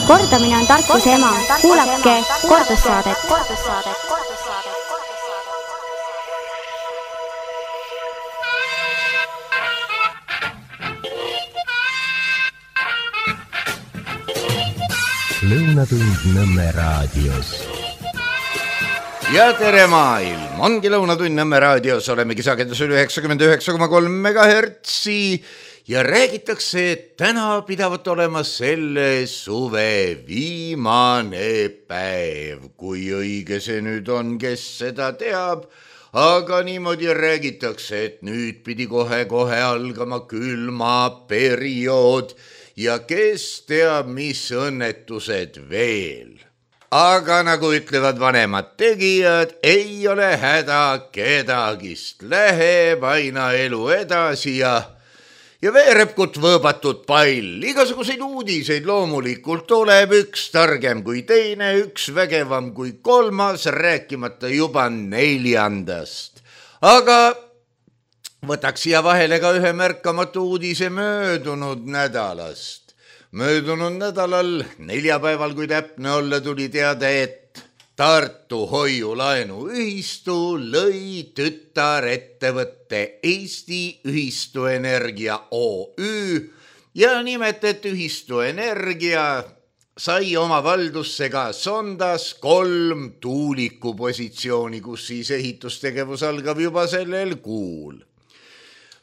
Kordamine on tarkuse ema. Kuulake kordussaadet. Lõunatund Nõmme raadios. Ja tere maailm! Ongi Lõunatund Nõmme raadios, olemegi sagedusel 99,3 MHz ja räägitakse, et täna pidavat olema selle suve viimane päev. Kui õige see nüüd on, kes seda teab, aga niimoodi räägitakse, et nüüd pidi kohe algama külma periood ja kes teab, mis õnnetused veel. Aga nagu ütlevad vanemad tegijad, ei ole häda kedagist, läheb aina elu edasi ja veerepkut võõbatud pall. Igasuguseid uudiseid loomulikult tuleb, üks targem kui teine, üks vägevam kui kolmas, rääkimata juba 4. Aga võtaks siia vahele ka ühe märkamatu uudise möödunud nädalast. Möödunud nädalal, neljapäeval, kui täpne olla, tuli teada, et Tartu hoiulaenuühistu lõi tütarettevõtte Eesti Ühistu Energia OÜ ja nimetet Ühistu Energia sai oma valdusse ka Sondas 3 tuulikupositsiooni, kus siis ehitustegevus algab juba sellel kuul.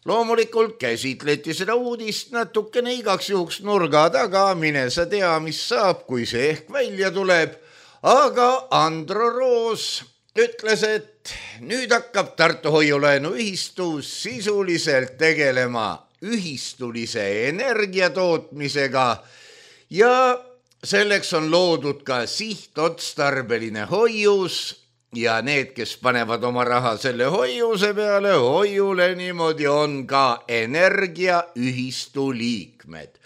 Loomulikult käsitleti seda uudist natukene igaks juhuks nurga taga, mine sa tea, mis saab, kui see ehk välja tuleb. Aga Andro Roos ütles, et nüüd hakkab Tartu hoiulaenuühistu sisuliselt tegelema ühistulise energiatootmisega ja selleks on loodud ka sihtotstarbeline hoius ja need, kes panevad oma raha selle hoiuse peale, hoiule niimoodi on ka energiaühistu liikmed.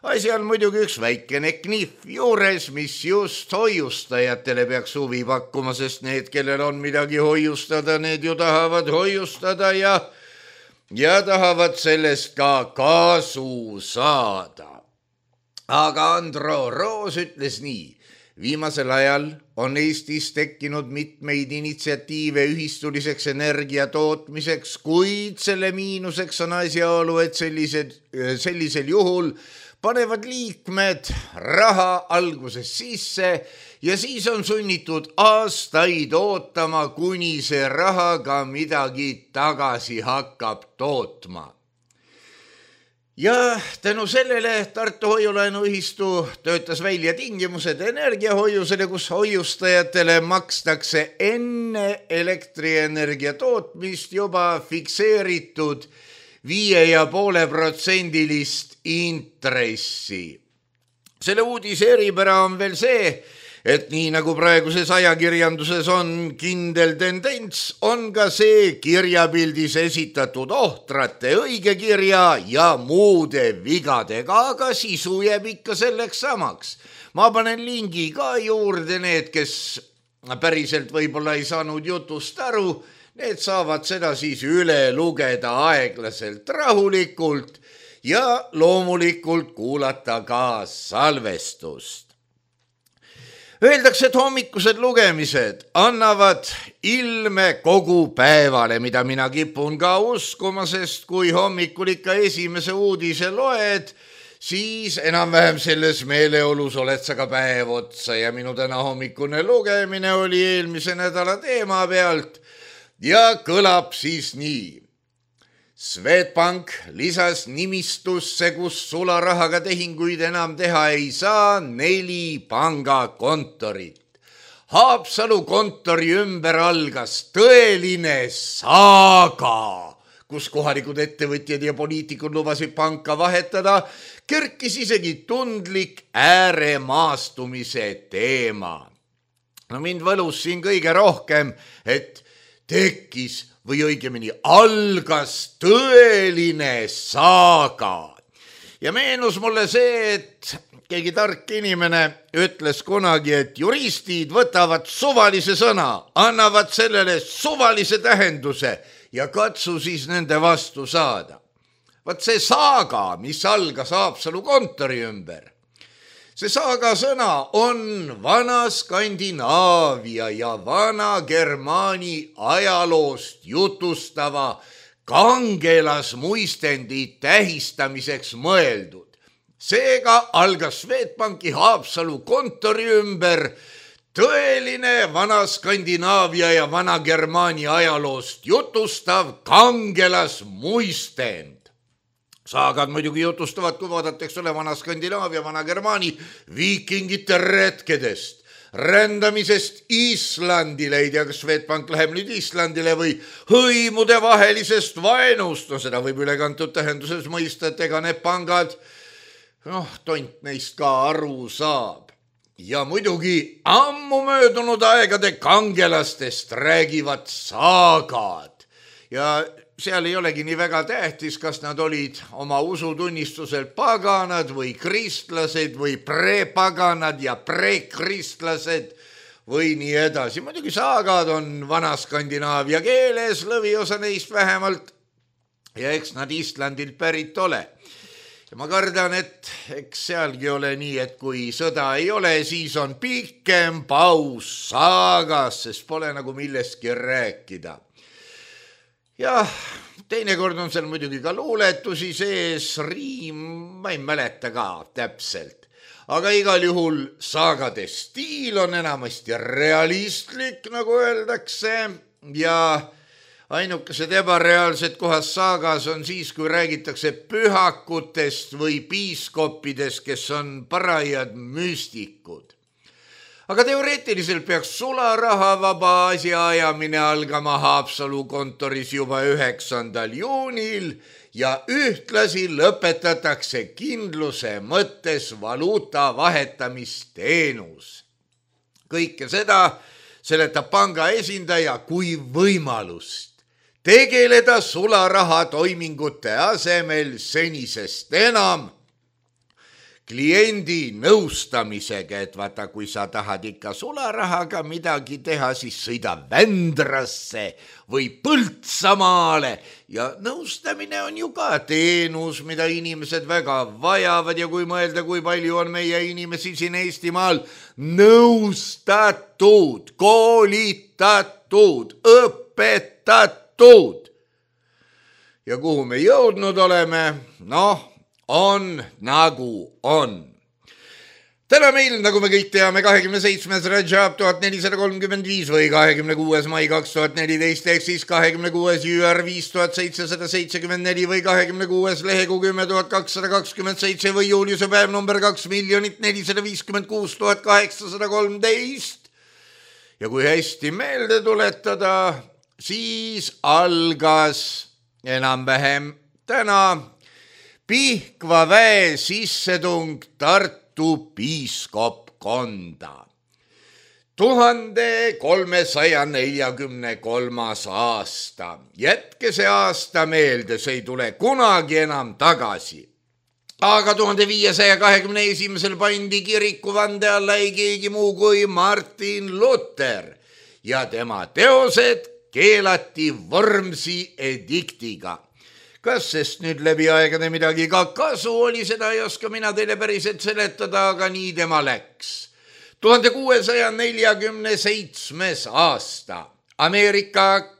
Asi on muidugi üks väikene knihv juures, mis just hoiustajatele peaks huvi pakkuma, sest need, kellel on midagi hoiustada, need ju tahavad hoiustada ja tahavad sellest ka kasu saada. Aga Andro Roos ütles nii. Viimasel ajal on Eestis tekkinud mitmeid initsiatiive ühistuliseks energiatootmiseks, kuid selle miinuseks on asjaolu, et sellisel juhul panevad liikmed raha alguses sisse ja siis on sunnitud aastaid ootama, kuni see raha ka midagi tagasi hakkab tootma. Ja tänu sellele Tartu hoiulaenuühistu töötas välja tingimused energiahoiusele, kus hoiustajatele makstakse enne elektrienergia tootmist juba fikseeritud 5,5% intressi. Selle uudise eripära on veel see, et nii nagu praeguses ajakirjanduses on kindel tendents, on ka see kirjapildis esitatud ohtrate õigekirja ja muude vigadega, aga sisu jääb ikka selleks samaks. Ma panen lingi ka juurde, need, kes päriselt võib-olla ei saanud jutust aru, need saavad seda siis üle lugeda aeglaselt rahulikult ja loomulikult kuulata ka salvestust. Öeldakse, et hommikused lugemised annavad ilme kogu päevale, mida mina kipun ka uskuma, sest kui hommikul ikka esimese uudise loed, siis enam-vähem selles meeleolus oled sa ka päev otsa ja minu täna hommikune lugemine oli eelmise nädala teema pealt ja kõlab siis nii. Swedbank lisas nimistusse, kus sularahaga tehinguid enam teha ei saa, 4 pangakontorit. Haapsalu kontori ümber algas tõeline saaga, kus kohalikud ettevõtjad ja poliitikud lubasid panka vahetada, kerkis isegi tundlik ääremaastumise teema. No mind võlus siin kõige rohkem, et tekkis või õigemini algas tõeline saaga. Ja meenus mulle see, et keegi tark inimene ütles kunagi, et juristid võtavad suvalise sõna, annavad sellele suvalise tähenduse ja katsu siis nende vastu saada. Vaat see saaga, mis algas Haapsalu kontori ümber, see saaga sõna on vana Skandinaavia ja vana Germaani ajaloost jutustava kangelasmuistendi tähistamiseks mõeldud. Seega algas Swedbanki Haapsalu kontori ümber tõeline vana Skandinaavia ja vana Germaani ajaloost jutustav kangelasmuistend. Saagad muidugi jutustavad, kui vaadatakse vana Skandinaavia, vana Germaani viikingite retkedest, rändamisest Islandile, ei tea, kas Swedbank läheb nüüd Islandile või hõimude vahelisest vaenust, no seda võib ülekantud tähenduses mõista, et ega need pangad, tont neist ka aru saab. Ja muidugi ammu möödunud aegade kangelastest räägivad saagad ja seal ei olegi nii väga tähtis, kas nad olid oma usutunnistusel paganad või kristlased või prepaganad ja prekristlased või nii edasi. Muidugi saagad on vana Skandinaavia keeles, lõviosa neist vähemalt, ja eks nad Islandilt pärit ole. Ja ma kardan, et eks sealgi ole nii, et kui sõda ei ole, siis on pikem paus saagas, sest pole nagu millestki rääkida. Ja teinekord on seal muidugi ka luuletusi sees, riim, ma ei mäleta ka täpselt. Aga igal juhul saagade stiil on enamasti realistlik, nagu öeldakse, ja ainukesed ebareaalsed kohas saagas on siis, kui räägitakse pühakutest või piiskoppidest, kes on parajad müstikud. Aga teoreetiliselt peaks sularahavaba asjaajamine algama Haapsalu kontoris juba 9. juunil ja ühtlasi lõpetatakse kindluse mõttes valuuta vahetamisteenus. Kõike seda seletab panga esindaja kui võimalust tegeleda sularaha toimingute asemel senisest enam kliendi nõustamisega, et vaata, kui sa tahad ikka sularahaga midagi teha, siis sõida Vändrasse või Põltsamaale ja nõustamine on ju ka teenus, mida inimesed väga vajavad ja kui mõelda, kui palju on meie inimesi siin Eestimaal nõustatud, koolitatud, õpetatud. Ja kuhu me jõudnud oleme? On nagu on. Täna meil, nagu me kõik teame, 27. Rajab 1435 või 26. mai 2014 ehk siis 26. jüär 5774 või 26. lehekuu 10227 või juuliuse päev number 2 456 813. Ja kui hästi meelde tuletada, siis algas enam-vähem täna Pihkva väe sissetung Tartu piiskopkonda. 1343. aasta. Jätke see aasta meelde, see ei tule kunagi enam tagasi. Aga 1521. pandi kirikuvande alla ei keegi muu kui Martin Luther ja tema teosed keelati Wormsi ediktiga. Kas sest nüüd läbi aegade midagi ka kasu oli, seda ei oska mina teile päriselt seletada, aga nii tema läks. 1647. aasta. Ameerika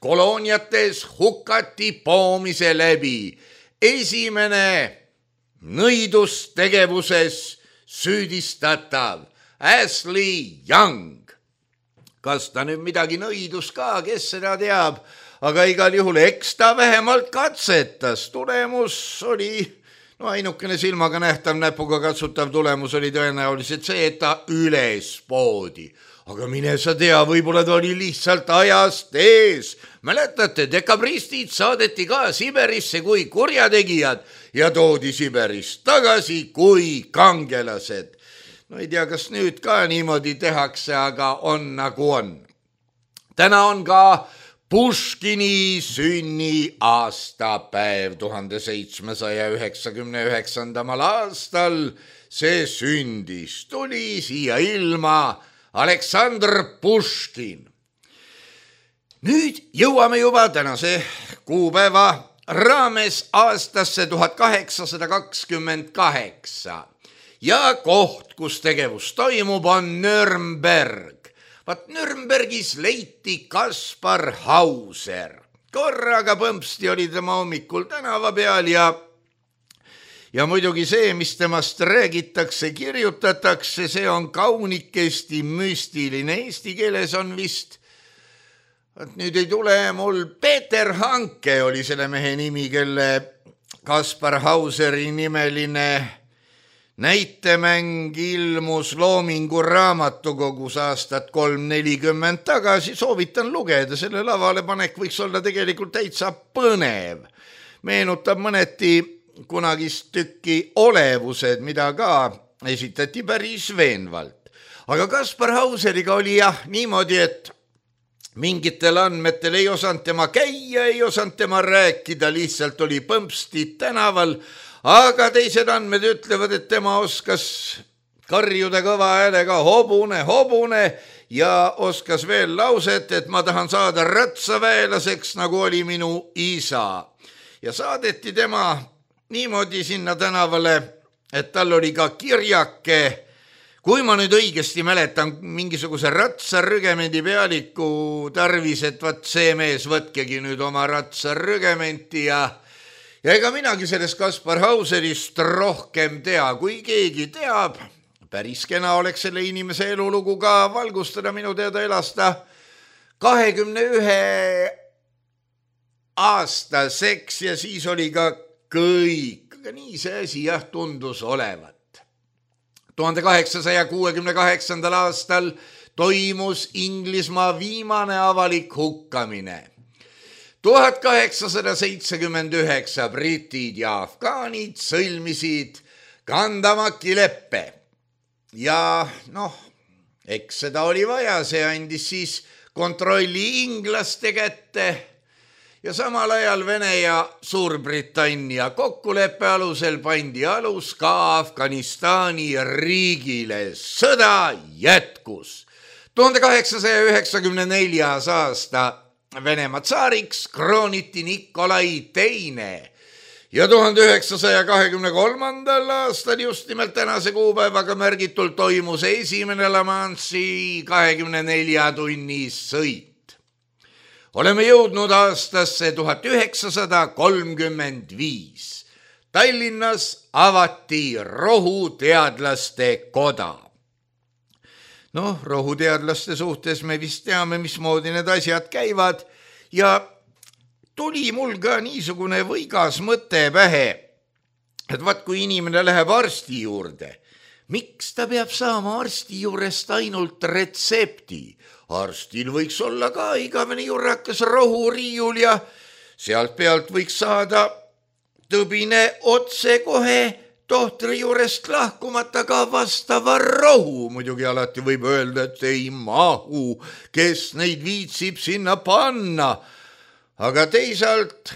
kolooniates hukati poomise läbi esimene nõidustegevuses süüdistatav Ashley Young. Kas ta nüüd midagi nõidus ka, kes seda teab? Aga igal juhul eks ta vähemalt katsetas. Tulemus oli, ainukene silmaga nähtav, näpuga katsutav tulemus oli tõenäoliselt see, et ta üles poodi. Aga mine sa tea, võib-olla ta oli lihtsalt ajast ees. Mäletate, dekabristid saadeti ka Siberisse kui kurjategijad ja toodi Siberist tagasi kui kangelased. Ei tea, kas nüüd ka niimoodi tehakse, aga on nagu on. Täna on ka Puškini sünni aastapäev 1799. aastal. See sündis, tuli siia ilma Aleksandr Puškin. Nüüd jõuame juba tänase kuupäeva raames aastasse 1828. ja koht, kus tegevus toimub, on Nürnberg. Vaat Nürnbergis leiti Kaspar Hauser. Korraga põmpsti oli tema hommikul tänava peal ja muidugi see, mis temast räägitakse, kirjutatakse, see on kaunikesti müstiline. Eesti keeles on vist, nüüd ei tule mul, Peeter Hanke oli selle mehe nimi, kelle Kaspar Hauseri nimeline näitemäng ilmus Loomingu raamatukogus aastat 340 tagasi. Soovitan lugeda, selle lavale panek võiks olla tegelikult täitsa põnev. Meenutab mõneti kunagist tükki Olevused, mida ka esitati päris veenvalt. Aga Kaspar Hauseriga oli niimoodi, et mingitel andmetel ei osanud tema käia, ei osanud tema rääkida, lihtsalt oli põmpsti tänaval. Aga teised andmed ütlevad, et tema oskas karjuda kõva häälega hobune, hobune ja oskas veel lauset, et ma tahan saada ratsaväelaseks, nagu oli minu isa. Ja saadeti tema niimoodi sinna tänavale, et tal oli ka kirjake, kui ma nüüd õigesti mäletan, mingisuguse ratsarügemendi pealiku tarvis, et vaat see mees võtkegi nüüd oma ratsarügementi ja ega minagi sellest Kaspar Hauserist rohkem tea, kui keegi teab. Päris kena oleks selle inimese elulugu ka valgustada, minu teada elas ta 21 aastaseks ja siis oli ka kõik. Aga nii see asi tundus olevat. 1868. aastal toimus Inglismaa viimane avalik hukkamine. 1879 britid ja afgaanid sõlmisid Kandamaki leppe ja eks seda oli vaja, see andis siis kontrolli inglaste kätte ja samal ajal Vene ja Suurbritannia kokkuleppe alusel pandi alus ka Afganistani riigile. Sõda jätkus. 1894. aasta Venemaa tsaariks krooniti Nikolai II ja 1923. aastal just nimelt tänase kuupäevaga märgitult toimus esimene La Manche'i 24 tunni sõit. Oleme jõudnud aastasse 1935. Tallinnas avati rohuteadlaste koda. Rohuteadlaste suhtes me vist teame, mismoodi need asjad käivad ja tuli mul ka niisugune võigas mõte pähe, et vaat kui inimene läheb arsti juurde, miks ta peab saama arsti juurest ainult retsepti? Arstil võiks olla ka igavene jurrakas rohuriiul ja sealt pealt võiks saada tõbine otse kohe tohtri juurest lahkumata ka vastava rohu. Muidugi alati võib öelda, et ei mahu, kes neid viitsib sinna panna. Aga teisalt,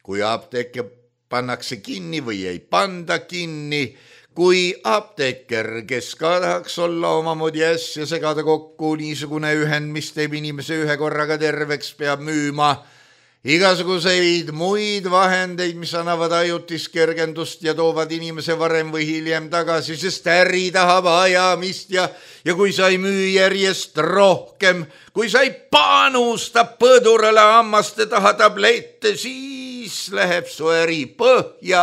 kui apteeke pannakse kinni või ei panda kinni, kui apteeker, kes ka tahaks olla omamoodi äsja segada kokku niisugune ühend, mis teeb inimese ühe korraga terveks, peab müüma igasuguseid muid vahendeid, mis annavad ajutist kergendust ja toovad inimese varem või hiljem tagasi, sest äri tahab ajamist ja kui sa ei müü järjest rohkem, kui sa ei panusta põdurale hammaste taha tablette, siis läheb su äri põhja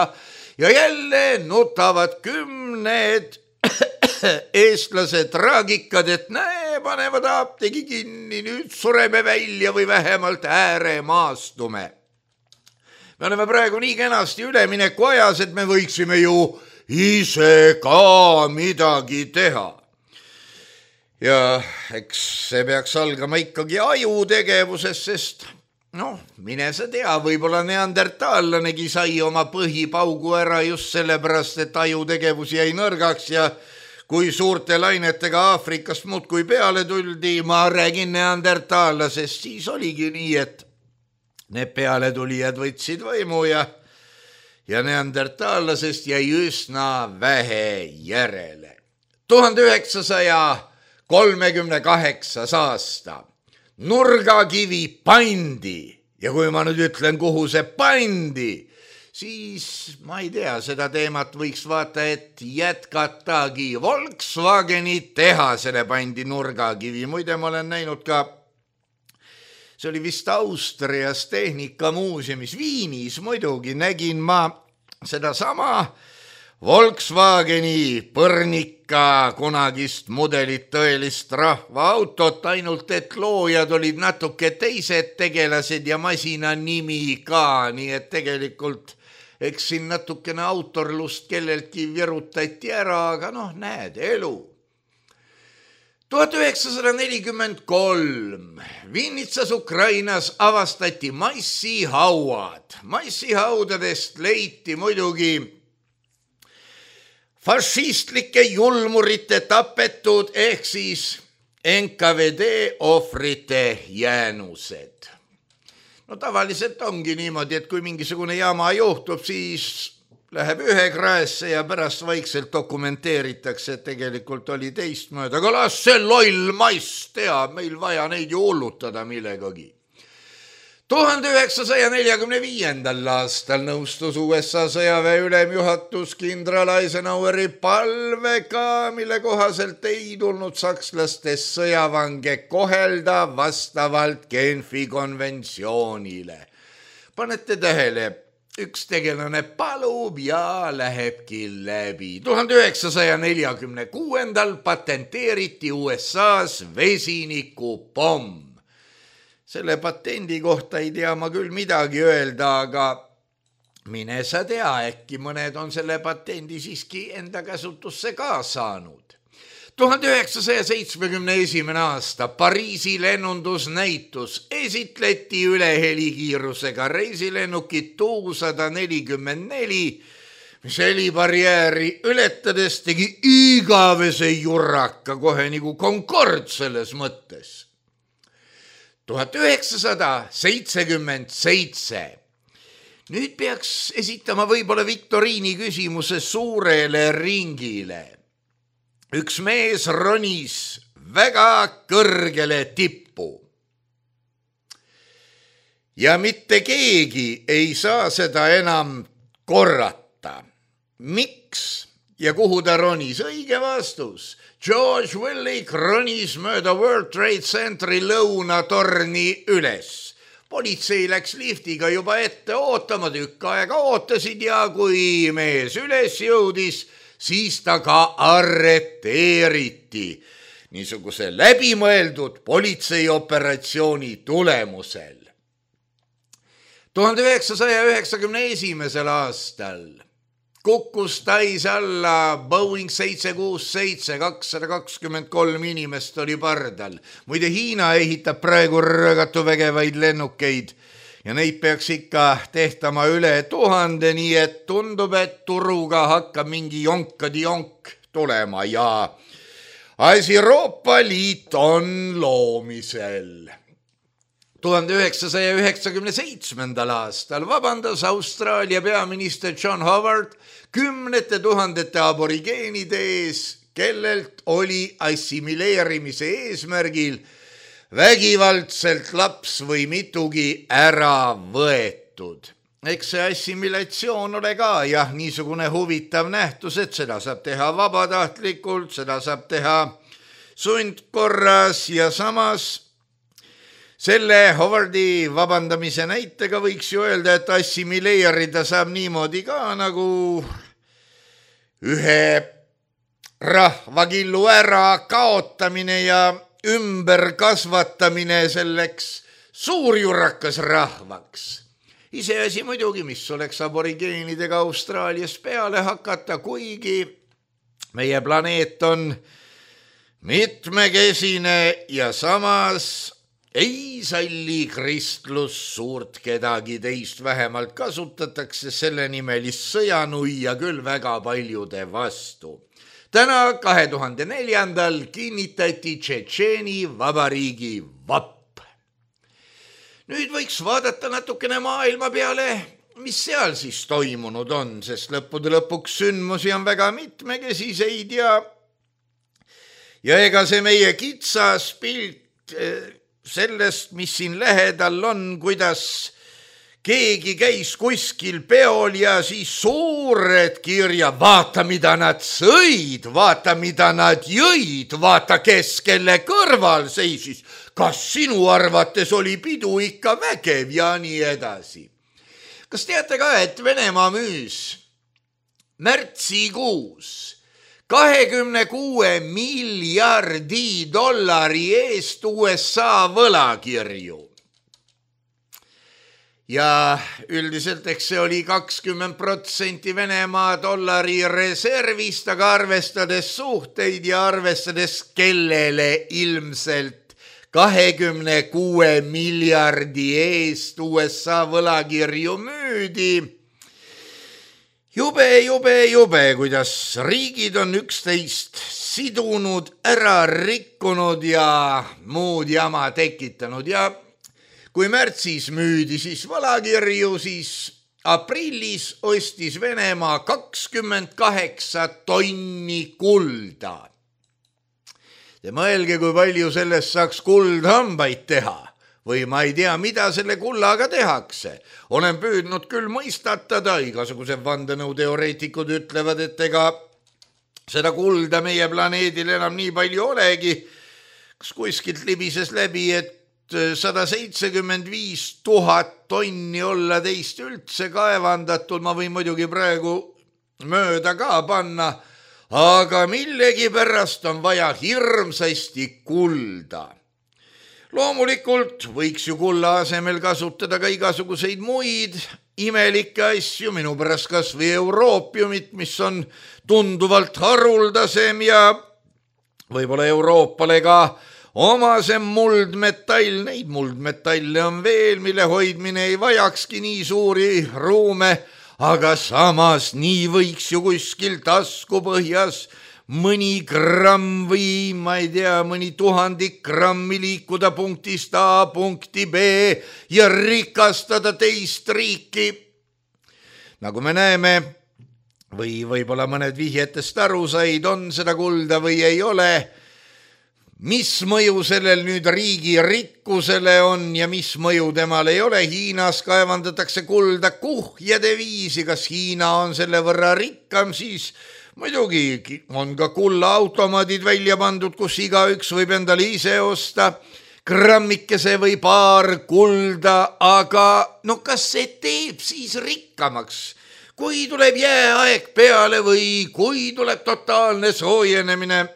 ja jälle nutavad kümned eestlase traagikad, et näe, panevad apteegi kinni, nüüd sureme välja või vähemalt ääremaastume. Me oleme praegu nii kenasti ülemineku ajas, et me võiksime ju ise ka midagi teha. Ja eks see peaks algama ikkagi ajutegevusest, sest mine sa tea, võib-olla neandertaallanegi sai oma põhipaugu ära just sellepärast, et ajutegevus jäi nõrgaks ja kui suurte lainetega Aafrikast muudkui peale tuldi, ma räägin neandertaallasest, siis oligi nii, et need pealetulijad võtsid võimu ja neandertaallasest jäi üsna vähe järele. 1938. aasta. Nurgakivi pandi ja kui ma nüüd ütlen, kuhu see pandi, siis ma ei tea, seda teemat võiks vaata, et jätkatagi. Volkswageni tehasele pandi nurgakivi. Muide, ma olen näinud ka, see oli vist Austrias Tehnikamuuseumis Viinis, muidugi nägin ma sedasama Volkswageni põrnika kunagist mudelit, tõelist rahvaautot, ainult et loojad olid natuke teised tegelased ja masina nimi ka, nii et tegelikult eks siin natukene autorlust kelleltki virutati ära, aga näed, elu. 1943 Vinnitsas Ukrainas avastati massihauad. Massihaudadest leiti muidugi fašistlike julmurite tapetud ehk siis NKVD ohvrite jäänused. Tavaliselt ongi niimoodi, et kui mingisugune jama juhtub, siis läheb ühe kraesse ja pärast vaikselt dokumenteeritakse, et tegelikult oli teistmööda. Aga las see loll mass teab, meil vaja neid ju hullutada millegagi. 1945. aastal nõustus USA sõjaväe ülemjuhatus kindral Eisenhoweri palvega, mille kohaselt ei tulnud sakslastest sõjavange kohelda vastavalt Genfi konventsioonile. Panete tähele, üks tegelane palub ja lähebki läbi. 1946. patenteeriti USA-s vesinikupomm. Selle patendi kohta ei tea ma küll midagi öelda, aga mine sa tea, äkki mõned on selle patendi siiski enda käsutusse ka saanud. 1971. aasta Pariisi lennundusnäitus esitleti üle helikiirusega reisilennukit Tu-144, mis helibarjääri ületades tegi igavese jurraka kohe nagu Concorde selles mõttes. 1977. Nüüd peaks esitama võib-olla viktoriini küsimuse suurele ringile. Üks mees ronis väga kõrgele tippu. Ja mitte keegi ei saa seda enam korrata. Miks ja kuhu ta ronis? Õige vastus. George Willik ronis mööda World Trade Centeri lõunatorni üles. Politsei läks liftiga juba ette ootama, tükk aega ootasid ja kui mees üles jõudis, siis ta ka arreteeriti niisuguse läbimõeldud politseioperatsiooni tulemusel. 1991. aastal kukkus Tais alla Boeing 767, 223 inimest oli pardal. Muide, Hiina ehitab praegu rõgatu vägevaid lennukeid ja neid peaks ikka tehtama üle 1000, nii et tundub, et turuga hakkab mingi jonk tulema ja Euroopa Liit on loomisel. 1997. aastal vabandas Austraalia peaminister John Howard 10 000 aborigeenide ees, kellelt oli assimileerimise eesmärgil vägivaldselt laps või mitugi ära võetud. Eks see assimilatsioon ole ka niisugune huvitav nähtus, et seda saab teha vabatahtlikult, seda saab teha sundkorras ja samas selle Howardi vabandamise näitega võiks ju öelda, et assimileerida saab niimoodi ka nagu ühe rahvakillu ära kaotamine ja ümberkasvatamine selleks suurjurrakas rahvaks. Iseasi muidugi, mis oleks aborigeenidega Austraalias peale hakata, kuigi meie planeet on mitmekesine ja samas ei salli kristlus suurt kedagi teist, vähemalt kasutatakse selle nimelist sõjanuia küll väga paljude vastu. Täna 2004. kinnitati Tšetšeeni vabariigi vapp. Nüüd võiks vaadata natukene maailma peale, mis seal siis toimunud on, sest lõppude lõpuks sündmusi on väga mitmekesiseid ja ega see meie kitsas pilt sellest, mis siin lähedal on, kuidas keegi käis kuskil peol ja siis suured kirja, vaata, mida nad sõid, vaata, mida nad jõid, vaata, kes kelle kõrval seisis. Kas sinu arvates oli pidu ikka vägev ja nii edasi. Kas teate ka, et Venemaa müüs märtsikuus 26 miljardi dollari eest USA võlakirju? Ja üldiselt eks see oli 20% Venemaa dollari reservist, aga arvestades suhteid ja arvestades kellele ilmselt 26 miljardi eest USA võlakirju müüdi. Jube, kuidas riigid on üksteist sidunud, ära rikkunud ja muud jama tekitanud ja kui märtsis müüdi siis võlakirju, siis aprillis ostis Venemaa 28 tonni kulda. Te mõelge, kui palju sellest saaks kuldhambaid teha või ma ei tea, mida selle kullaga tehakse. Olen püüdnud küll mõistatada, igasugused vandenõuteoreetikud ütlevad, et ega seda kulda meie planeedil enam nii palju olegi. Kas kuskilt libises läbi, et 175 000 tonni olla teist üldse kaevandatud, ma võin muidugi praegu mööda ka panna, aga millegi pärast on vaja hirmsasti kulda. Loomulikult võiks ju kulla asemel kasutada ka igasuguseid muid imelikke asju, minu pärast kas või euroopiumit, mis on tunduvalt haruldasem ja võib-olla Euroopale ka omasem muldmetall. Neid muldmetalle on veel, mille hoidmine ei vajakski nii suuri ruume, aga samas nii võiks ju kuskil taskupõhjas mõni gramm või ma ei tea, mõni 1000 grammi liikuda punktist A punkti B ja rikastada teist riiki. Nagu me näeme, või võib-olla mõned vihjetest aru said, on seda kulda või ei ole. Mis mõju sellel nüüd riigi rikkusele on ja mis mõju temal ei ole? Hiinas kaevandatakse kulda kuhjade viisi. Kas Hiina on selle võrra rikkam, siis muidugi on ka kullaautomaadid välja pandud, kus igaüks võib endale ise osta grammikese või paar kulda, aga no kas see teeb siis rikkamaks? Kui tuleb jääaeg peale või kui tuleb totaalne soojenemine,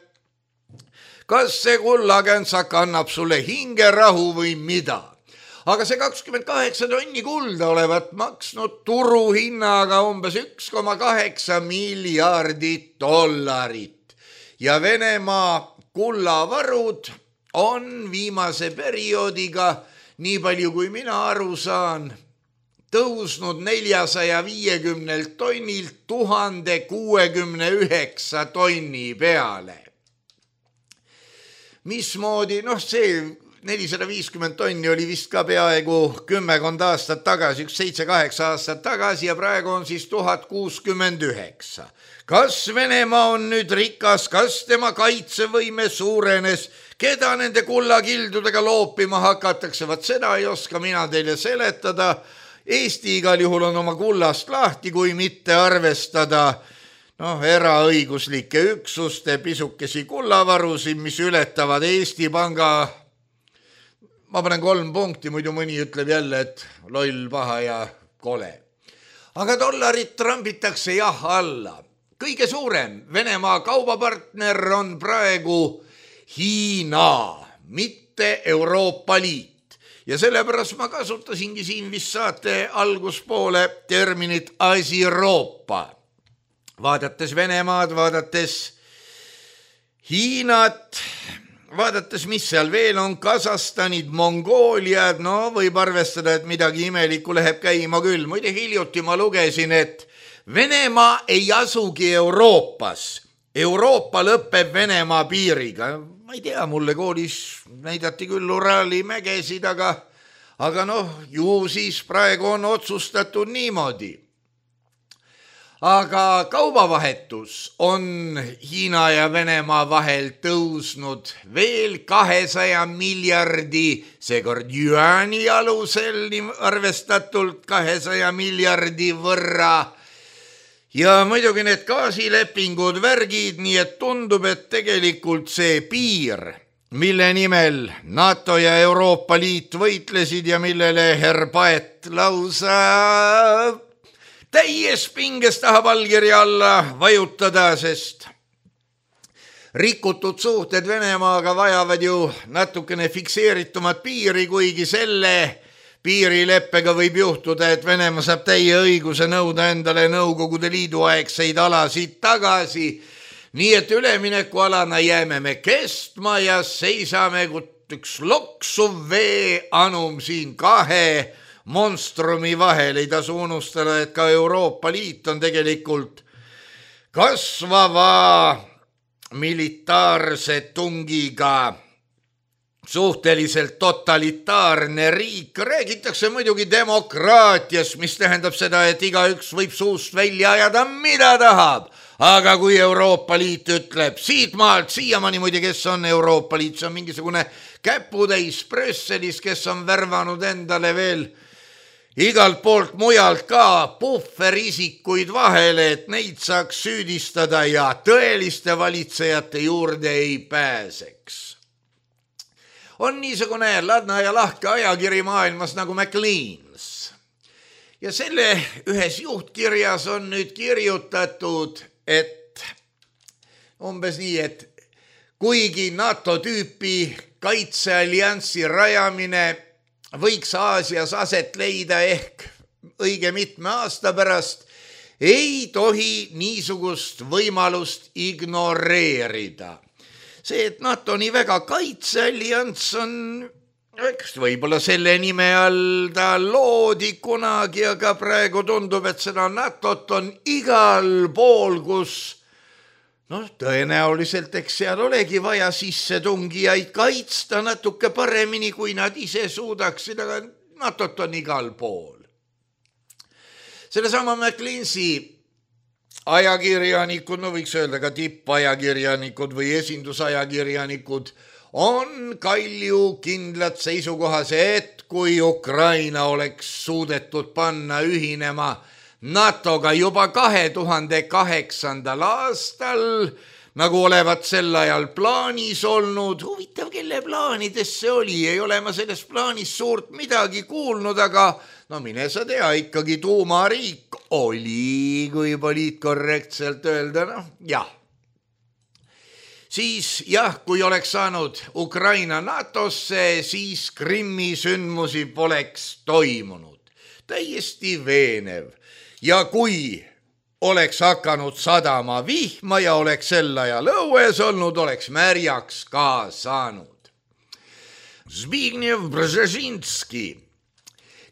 kas see kullakänsak annab sulle hingerahu või mida? Aga see 28 tonni kulda olevat maksnud turuhinnaga umbes 1,8 miljardit dollarit. Ja Venemaa kullavarud on viimase perioodiga, nii palju kui mina aru saan, tõusnud 450 tonnilt 1069 tonni peale. Mismoodi? See 450 tonni oli vist ka peaaegu 10 aastat tagasi, 7-8 aastat tagasi ja praegu on siis 1069. Kas Venemaa on nüüd rikas, kas tema kaitsevõime suurenes, keda nende kullakildudega loopima hakatakse, vaat seda ei oska mina teile seletada. Eesti igal juhul on oma kullast lahti, kui mitte arvestada eraõiguslike üksuste pisukesi kullavarusid, mis ületavad Eesti Panga. Ma panen 3 punkti, muidu mõni ütleb jälle, et loll, paha ja kole. Aga dollarit trambitakse jah alla. Kõige suurem Venemaa kaubapartner on praegu Hiina, mitte Euroopa Liit. Ja sellepärast ma kasutasingi siin vist saate alguspoole terminit Asi-Euroopa. Vaadates Venemaad, vaadates Hiinat, vaadates, mis seal veel on, Kasahstanid, Mongooliad, võib arvestada, et midagi imelikku läheb käima küll. Muide, hiljuti ma lugesin, et Venemaa ei asugi Euroopas. Euroopa lõpeb Venemaa piiriga. Ma ei tea, mulle koolis näidati küll Urali mägesid, aga ju siis praegu on otsustatud niimoodi. aga kaubavahetus on Hiina ja Venemaa vahel tõusnud veel 200 miljardi, seekord juani alusel arvestatult 200 miljardi võrra. Ja muidugi need gaasilepingud, värgid, nii et tundub, et tegelikult see piir, mille nimel NATO ja Euroopa Liit võitlesid ja millele herr Paet lausa täies pinges tahab allkirja alla vajutada, sest rikutud suhted Venemaaga vajavad ju natukene fikseeritumat piiri, kuigi selle piirileppega võib juhtuda, et Venemaa saab täie õiguse nõuda endale Nõukogude Liidu aegseid alasid tagasi. Nii et üleminekualana jääme me kestma ja seisame üks loksuv veeanum siin kahe monstrumi vahel. Ei tasu unustada, et ka Euroopa Liit on tegelikult kasvava militaarse tungiga suhteliselt totalitaarne riik. Räägitakse muidugi demokraatiast, mis tähendab seda, et igaüks võib suust välja ajada, mida tahab. Aga kui Euroopa Liit ütleb siit maalt, siiamaani muide, kes on Euroopa Liit, see on mingisugune käputäis Brüsselis, kes on värvanud endale veel igalt poolt mujalt ka puhverisikuid vahele, et neid saaks süüdistada ja tõeliste valitsejate juurde ei pääseks. On niisugune ladna ja lahke ajakiri maailmas nagu Maclean's. Ja selle ühes juhtkirjas on nüüd kirjutatud, et umbes nii, et kuigi NATO tüüpi kaitsealliansi rajamine võiks Aasias aset leida ehk õige mitme aasta pärast, ei tohi niisugust võimalust ignoreerida. See, et NATO nii väga kaitseallianss on, võib-olla selle nime all ta loodi kunagi, aga praegu tundub, et seda NATO-t on igal pool, kus tõenäoliselt eks seal olegi vaja sissetungijaid kaitsta natuke paremini, kui nad ise suudaksid, aga NATO-t on igal pool. Sellesama Macleansi ajakirjanikud, võiks öelda ka tippajakirjanikud või esindusajakirjanikud, on kalju kindlad seisukohas, et kui Ukraina oleks suudetud panna ühinema NATO-ga juba 2008. aastal, nagu olevat sel ajal plaanis olnud. Huvitav, kelle plaanides see oli, ei ole ma sellest plaanis suurt midagi kuulnud, aga mine sa tea, ikkagi tuumariik oli, kui poliitkorrektselt öelda, jah. Siis jah, kui oleks saanud Ukraina NATO-sse, siis Krimmi sündmusi poleks toimunud. Täiesti veenev. Ja kui oleks hakanud sadama vihma ja oleks sel ajal õues olnud, oleks märjaks ka saanud. Zbigniew Brzezinski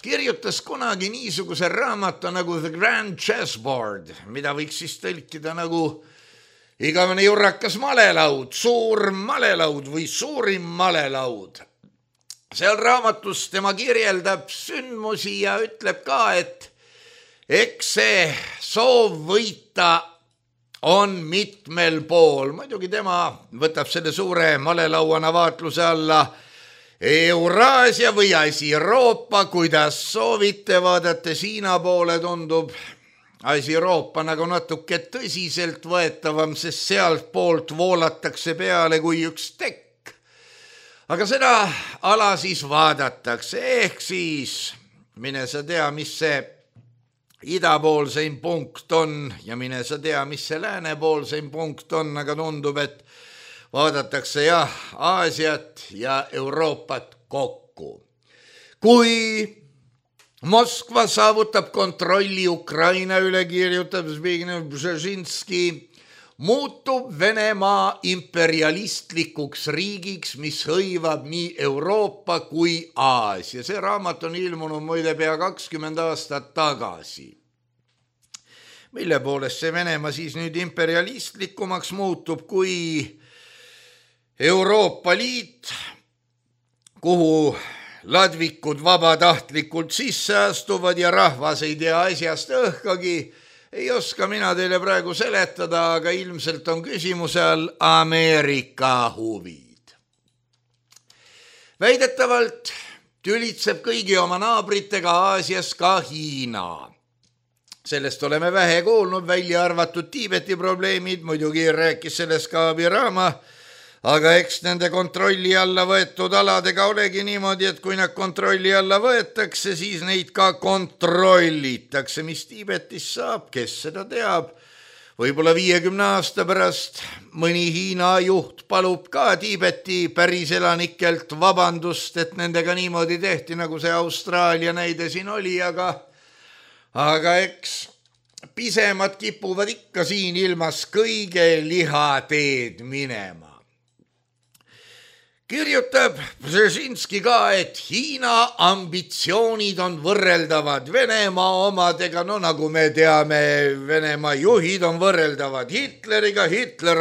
kirjutas kunagi niisuguse raamatu nagu The Grand Chessboard, mida võiks siis tõlkida nagu igavene jurrakas malelaud, suur malelaud või suurim malelaud. Seal raamatus tema kirjeldab sündmusi ja ütleb ka, et eks see soov võita on mitmel pool. Muidugi tema võtab selle suure malelauana vaatluse alla Euraasia või Asi-Euroopa, kuidas soovite, vaadates Hiina poole tundub Asi-Euroopa nagu natuke tõsiselt võetavam, sest sealt poolt voolatakse peale kui üks tekk. Aga seda ala siis vaadatakse, ehk siis mine sa tea, mis see idapoolseim punkt on ja mine sa tea, mis see läänepoolseim punkt on, aga tundub, et vaadatakse jah, Aasiat ja Euroopat kokku. Kui Moskva saavutab kontrolli Ukraina üle, kirjutab Zbigniew Brzezinski, muutub Venemaa imperialistlikuks riigiks, mis hõivab nii Euroopa kui Aasia. See raamat on ilmunud muide pea 20 aastat tagasi. Mille poolest see Venemaa siis nüüd imperialistlikumaks muutub, kui Euroopa Liit, kuhu ladvikud vabatahtlikult sisse astuvad ja rahvas ei tea asjast õhkagi, ei oska mina teile praegu seletada, aga ilmselt on küsimuse all Ameerika huvid. Väidetavalt tülitseb kõigi oma naabritega Aasias ka Hiina. Sellest oleme vähe kuulnud, välja arvatud Tiibeti probleemid, muidugi rääkis sellest ka Abirama, aga eks nende kontrolli alla võetud aladega olegi niimoodi, et kui nad kontrolli alla võetakse, siis neid ka kontrollitakse. Mis Tiibetis saab, kes seda teab? Võib-olla 50 aasta pärast mõni Hiina juht palub ka Tiibeti päris elanikelt vabandust, et nendega niimoodi tehti, nagu see Austraalia näide siin oli, aga eks pisemad kipuvad ikka siin ilmas kõige lihateed minema. Kirjutab Brzezinski ka, et Hiina ambitsioonid on võrreldavad Venemaa omadega, no nagu me teame, Venemaa juhid on võrreldavad Hitleriga, Hitler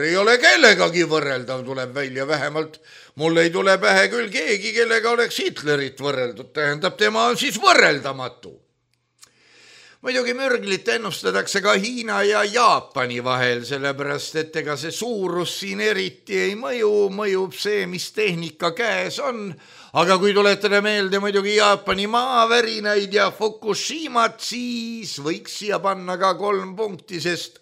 ei ole kellegagi võrreldav, tuleb välja vähemalt. Mul ei tule pähe küll keegi, kellega oleks Hitlerit võrreldud, tähendab, tema on siis võrreldamatu. Muidugi mürglit ennustatakse ka Hiina ja Jaapani vahel, sellepärast, et ega see suurus siin eriti ei mõjub see, mis tehnika käes on. Aga kui tuletada meelde muidugi Jaapani maavärinaid ja Fukushimat, siis võiks siia panna ka 3 punkti, sest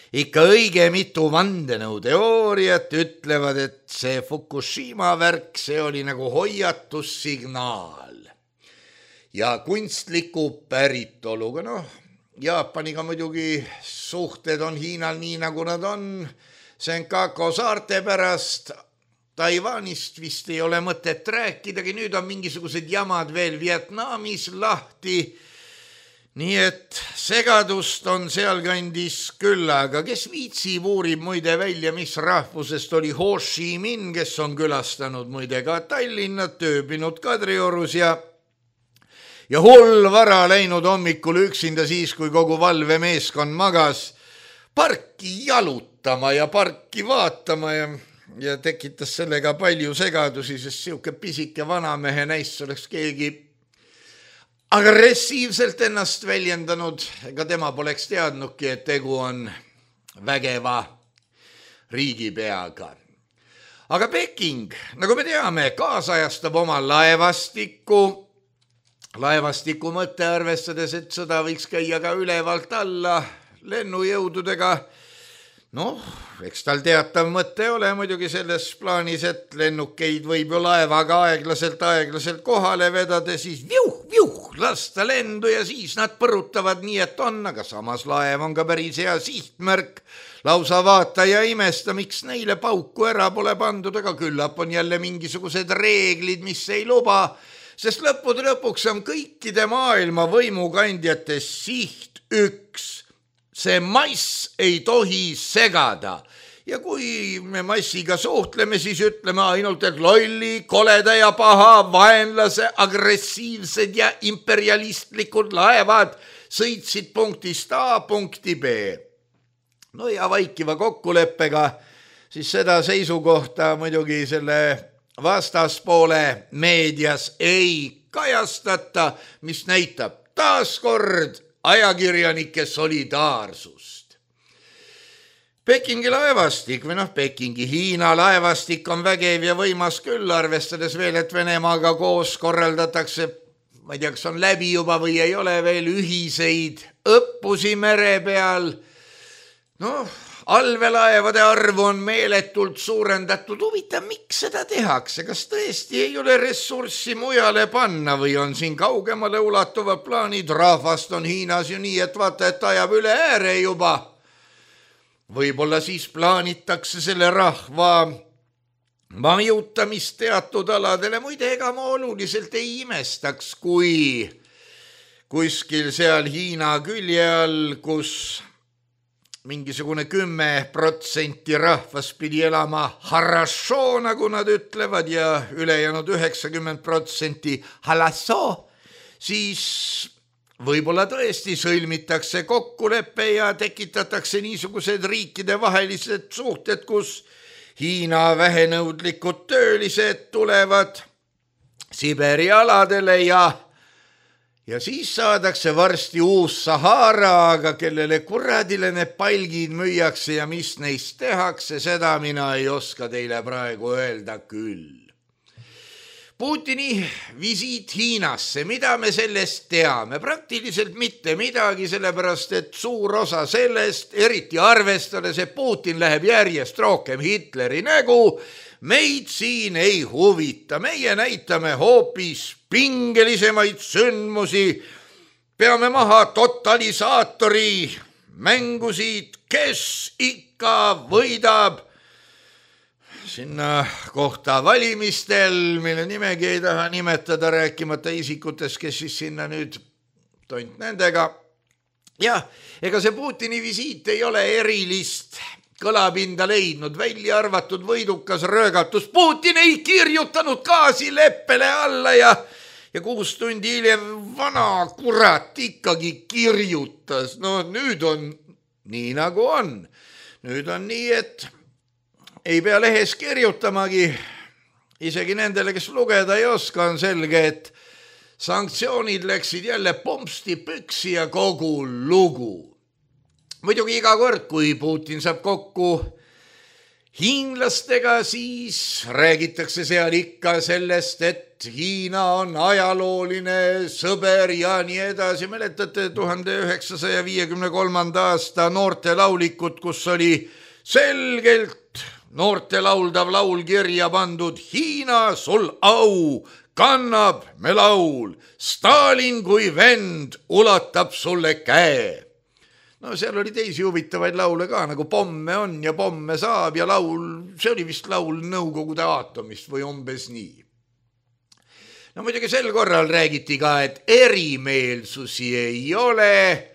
ikka õige mitu vandenõuteooriat ütlevad, et see Fukushima värk, see oli nagu hoiatussignaal. Ja kunstliku päritoluga, Jaapaniga muidugi suhted on Hiinal nii, nagu nad on. Senkaku saarte pärast Taiwanist vist ei ole mõtet rääkidagi, nüüd on mingisugused jamad veel Vietnamis lahti. Nii et segadust on sealkandis küll, aga kes viitsib uurib muide välja, mis rahvusest oli Ho Chi Minh, kes on külastanud muide ka Tallinnat, tööbinud Kadriorus ja hull vara läinud hommikul üksinda siis, kui kogu valvemeeskond magas, parki jalutama ja parki vaatama ja tekitas sellega palju segadusi, sest siuke pisike vanamehe näist oleks keegi agressiivselt ennast väljendanud, ega tema poleks teadnudki, et tegu on vägeva riigipeaga. Aga Peking, nagu me teame, kaasajastab oma laevastiku mõtte arvestades, et sõda võiks käia ka ülevalt alla lennujõududega. Eks tal teatav mõte ole muidugi selles plaanis, et lennukeid võib ju laevaga aeglaselt kohale vedada, siis lasta lendu ja siis nad põrutavad nii, et on, aga samas laev on ka päris hea sihtmärk. Lausa vaata ja imesta, miks neile pauku ära pole pandud, aga küllap on jälle mingisugused reeglid, mis ei luba, sest lõppude lõpuks on kõikide maailma võimukandjate siht üks. See mass ei tohi segada. Ja kui me massiga suhtleme, siis ütleme ainult, et lolli, koleda ja paha, vaenlase, agressiivsed ja imperialistlikud laevad sõitsid punktist A punkti B. Ja vaikiva kokkuleppega siis seda seisukohta muidugi selle vastaspoole meedias ei kajastata, mis näitab taaskord ajakirjanike solidaarsust. Pekingi laevastik või Pekingi Hiina laevastik on vägev ja võimas küll, arvestades veel, et Venemaaga koos korraldatakse, ma ei tea, kas on läbi juba või ei ole veel ühiseid õppusi mere peal. Allveelaevade arvu on meeletult suurendatud. Huvitav, miks seda tehakse? Kas tõesti ei ole ressurssi mujale panna või on siin kaugemale ulatuvad plaanid? Rahvast on Hiinas ju nii, et vaata, et ajab üle ääre juba. Võib-olla siis plaanitakse selle rahva majutamist teatud aladele. Muide, ega ma oluliselt ei imestaks, kui kuskil seal Hiina külje all, kus mingisugune 10% rahvas pidi elama harasho, nagu nad ütlevad, ja ülejäänud 90% halasso, siis võib-olla tõesti sõlmitakse kokkulepe ja tekitatakse niisugused riikide vahelised suhted, kus Hiina vähenõudlikud töölised tulevad Siberi aladele ja siis saadakse varsti uus Sahara, aga kellele kuradile need palgid müüakse ja mis neist tehakse, seda mina ei oska teile praegu öelda küll. Putini visiit Hiinasse, mida me sellest teame? Praktiliselt mitte midagi, sellepärast et suur osa sellest, eriti arvestades, et Putin läheb järjest rohkem Hitleri nägu, meid siin ei huvita. Meie näitame hoopis pingelisemaid sündmusi, peame maha totalisaatori mängusid, kes ikka võidab sinna kohta valimistel, mille nimegi ei taha nimetada, rääkimata isikutest, kes siis sinna nüüd tont nendega. Jah, ega see Putini visiit ei ole erilist kõlapinda leidnud, välja arvatud võidukas röögatus. Putin ei kirjutanud gaasileppele alla ja 6 tundi hiljem vana kurat ikkagi kirjutas. No nüüd on nii nagu on. Nüüd on nii, et ei pea lehes kirjutamagi, isegi nendele, kes lugeda ei oska, on selge, et sanktsioonid läksid jälle pompsti püksi ja kogu lugu. Muidugi iga kord, kui Putin saab kokku hiinlastega, siis räägitakse seal ikka sellest, et Hiina on ajalooline sõber ja nii edasi. Mäletate 1953. aasta noorte laulikut, kus oli selgelt noorte lauldav laul kirja pandud: Hiina, sul au, kannab me laul, Stalin kui vend ulatab sulle käe. No seal oli teisi huvitavaid laule ka, nagu Pomme on ja pomme saab ja laul, see oli vist laul Nõukogude aatomist või umbes nii. No muidugi sel korral räägiti ka, et erimeelsusi ei ole,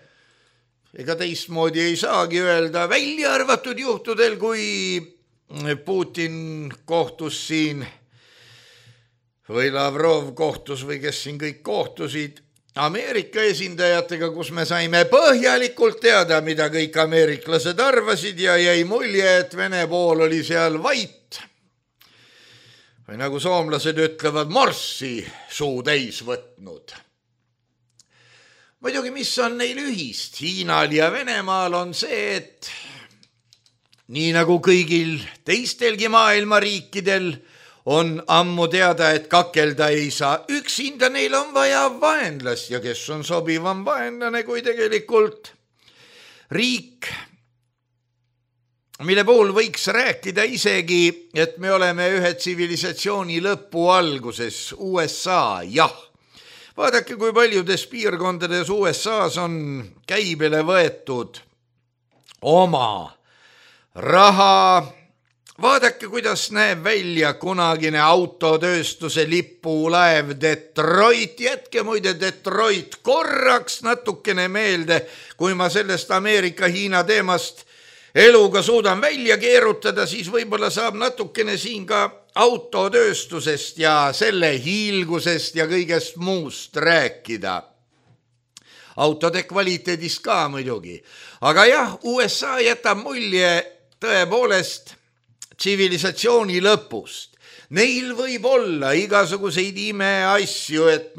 ega teistmoodi ei saagi öelda, välja arvatud juhtudel, kui Putin kohtus siin või Lavrov kohtus või kes siin kõik kohtusid Ameerika esindajatega, kus me saime põhjalikult teada, mida kõik ameeriklased arvasid ja jäi mulje, et Vene pool oli seal vait. Või nagu soomlased ütlevad, morssi suu täis võtnud. Muidugi, mis on neil ühist Hiinal ja Venemaal on see, et nii nagu kõigil teistelgi maailma riikidel on ammu teada, et kakelda ei saa üksinda, neil on vaja vaenlast ja kes on sobivam vaenlane kui tegelikult riik, mille puhul võiks rääkida isegi, et me oleme ühe tsivilisatsiooni lõpu alguses, USA, jah. Vaadake, kui paljudes piirkondades USAs on käibele võetud oma raha. Vaadake, kuidas näeb välja kunagine autotööstuse lipulaev Detroit. Jätke muide Detroit korraks natukene meelde, kui ma sellest Ameerika-Hiina teemast eluga suudan välja keerutada, siis võib-olla saab natukene siin ka autotööstusest ja selle hiilgusest ja kõigest muust rääkida. Autode kvaliteedist ka muidugi. Aga jah, USA jätab mulje tõepoolest tsivilisatsiooni lõpust. Neil võib olla igasuguseid imeasju, et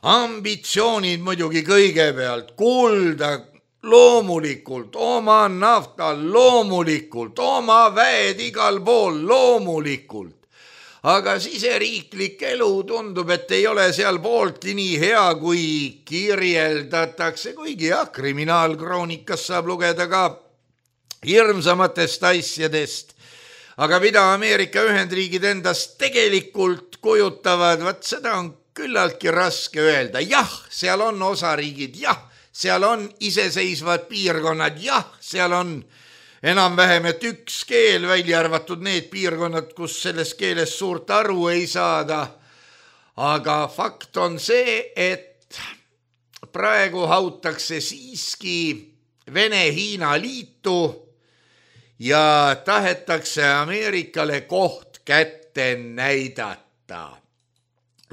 ambitsioonid muidugi kõigepealt, kulda loomulikult, oma nafta loomulikult, oma väed igal pool loomulikult. Aga siseriiklik elu tundub, et ei ole seal pooltki nii hea, kui kirjeldatakse, kuigi jah, kriminaalkroonikast saab lugeda ka hirmsamatest asjadest. Aga mida Ameerika Ühendriigid endast tegelikult kujutavad, seda on küllaltki raske öelda. Jah, seal on osariigid, jah, seal on iseseisvad piirkonnad, jah, seal on enam-vähem, et üks keel, välja arvatud need piirkonnad, kus sellest keelest suurt aru ei saada. Aga fakt on see, et praegu hautakse siiski Vene-Hiina liitu ja tahetakse Ameerikale koht kätte näidata.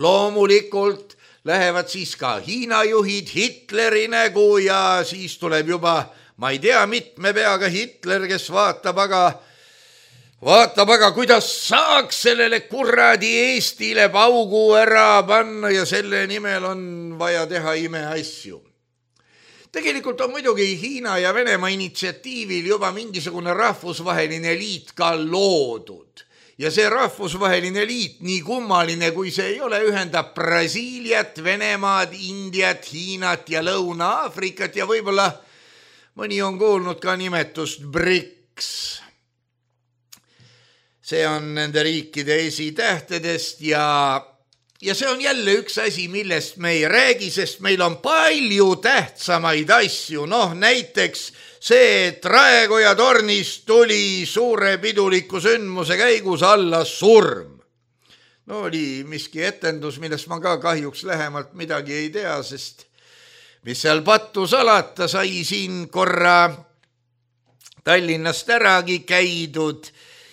Loomulikult lähevad siis ka Hiina juhid Hitleri nägu ja siis tuleb juba, ma ei tea, mitme peaga Hitler, kes vaatab, aga vaatab aga, kuidas saaks sellele kuradi Eestile paugu ära panna ja selle nimel on vaja teha imeasju. Tegelikult on muidugi Hiina ja Venemaa initsiatiivil juba mingisugune rahvusvaheline liit ka loodud. Ja see rahvusvaheline liit, nii kummaline kui see ei ole, ühendab Brasiiliat, Venemaad, Indiat, Hiinat ja Lõuna-Aafrikat ja võib-olla mõni on kuulnud ka nimetust BRICS. See on nende riikide esitähtedest ja see on jälle üks asi, millest me ei räägi, sest meil on palju tähtsamaid asju. Näiteks see, et Raekoja tornis tuli suure piduliku sündmuse käigus alla surm. Oli miski etendus, millest ma ka kahjuks lähemalt midagi ei tea, sest mis seal pattu salata, sai siin korra Tallinnast äragi käidud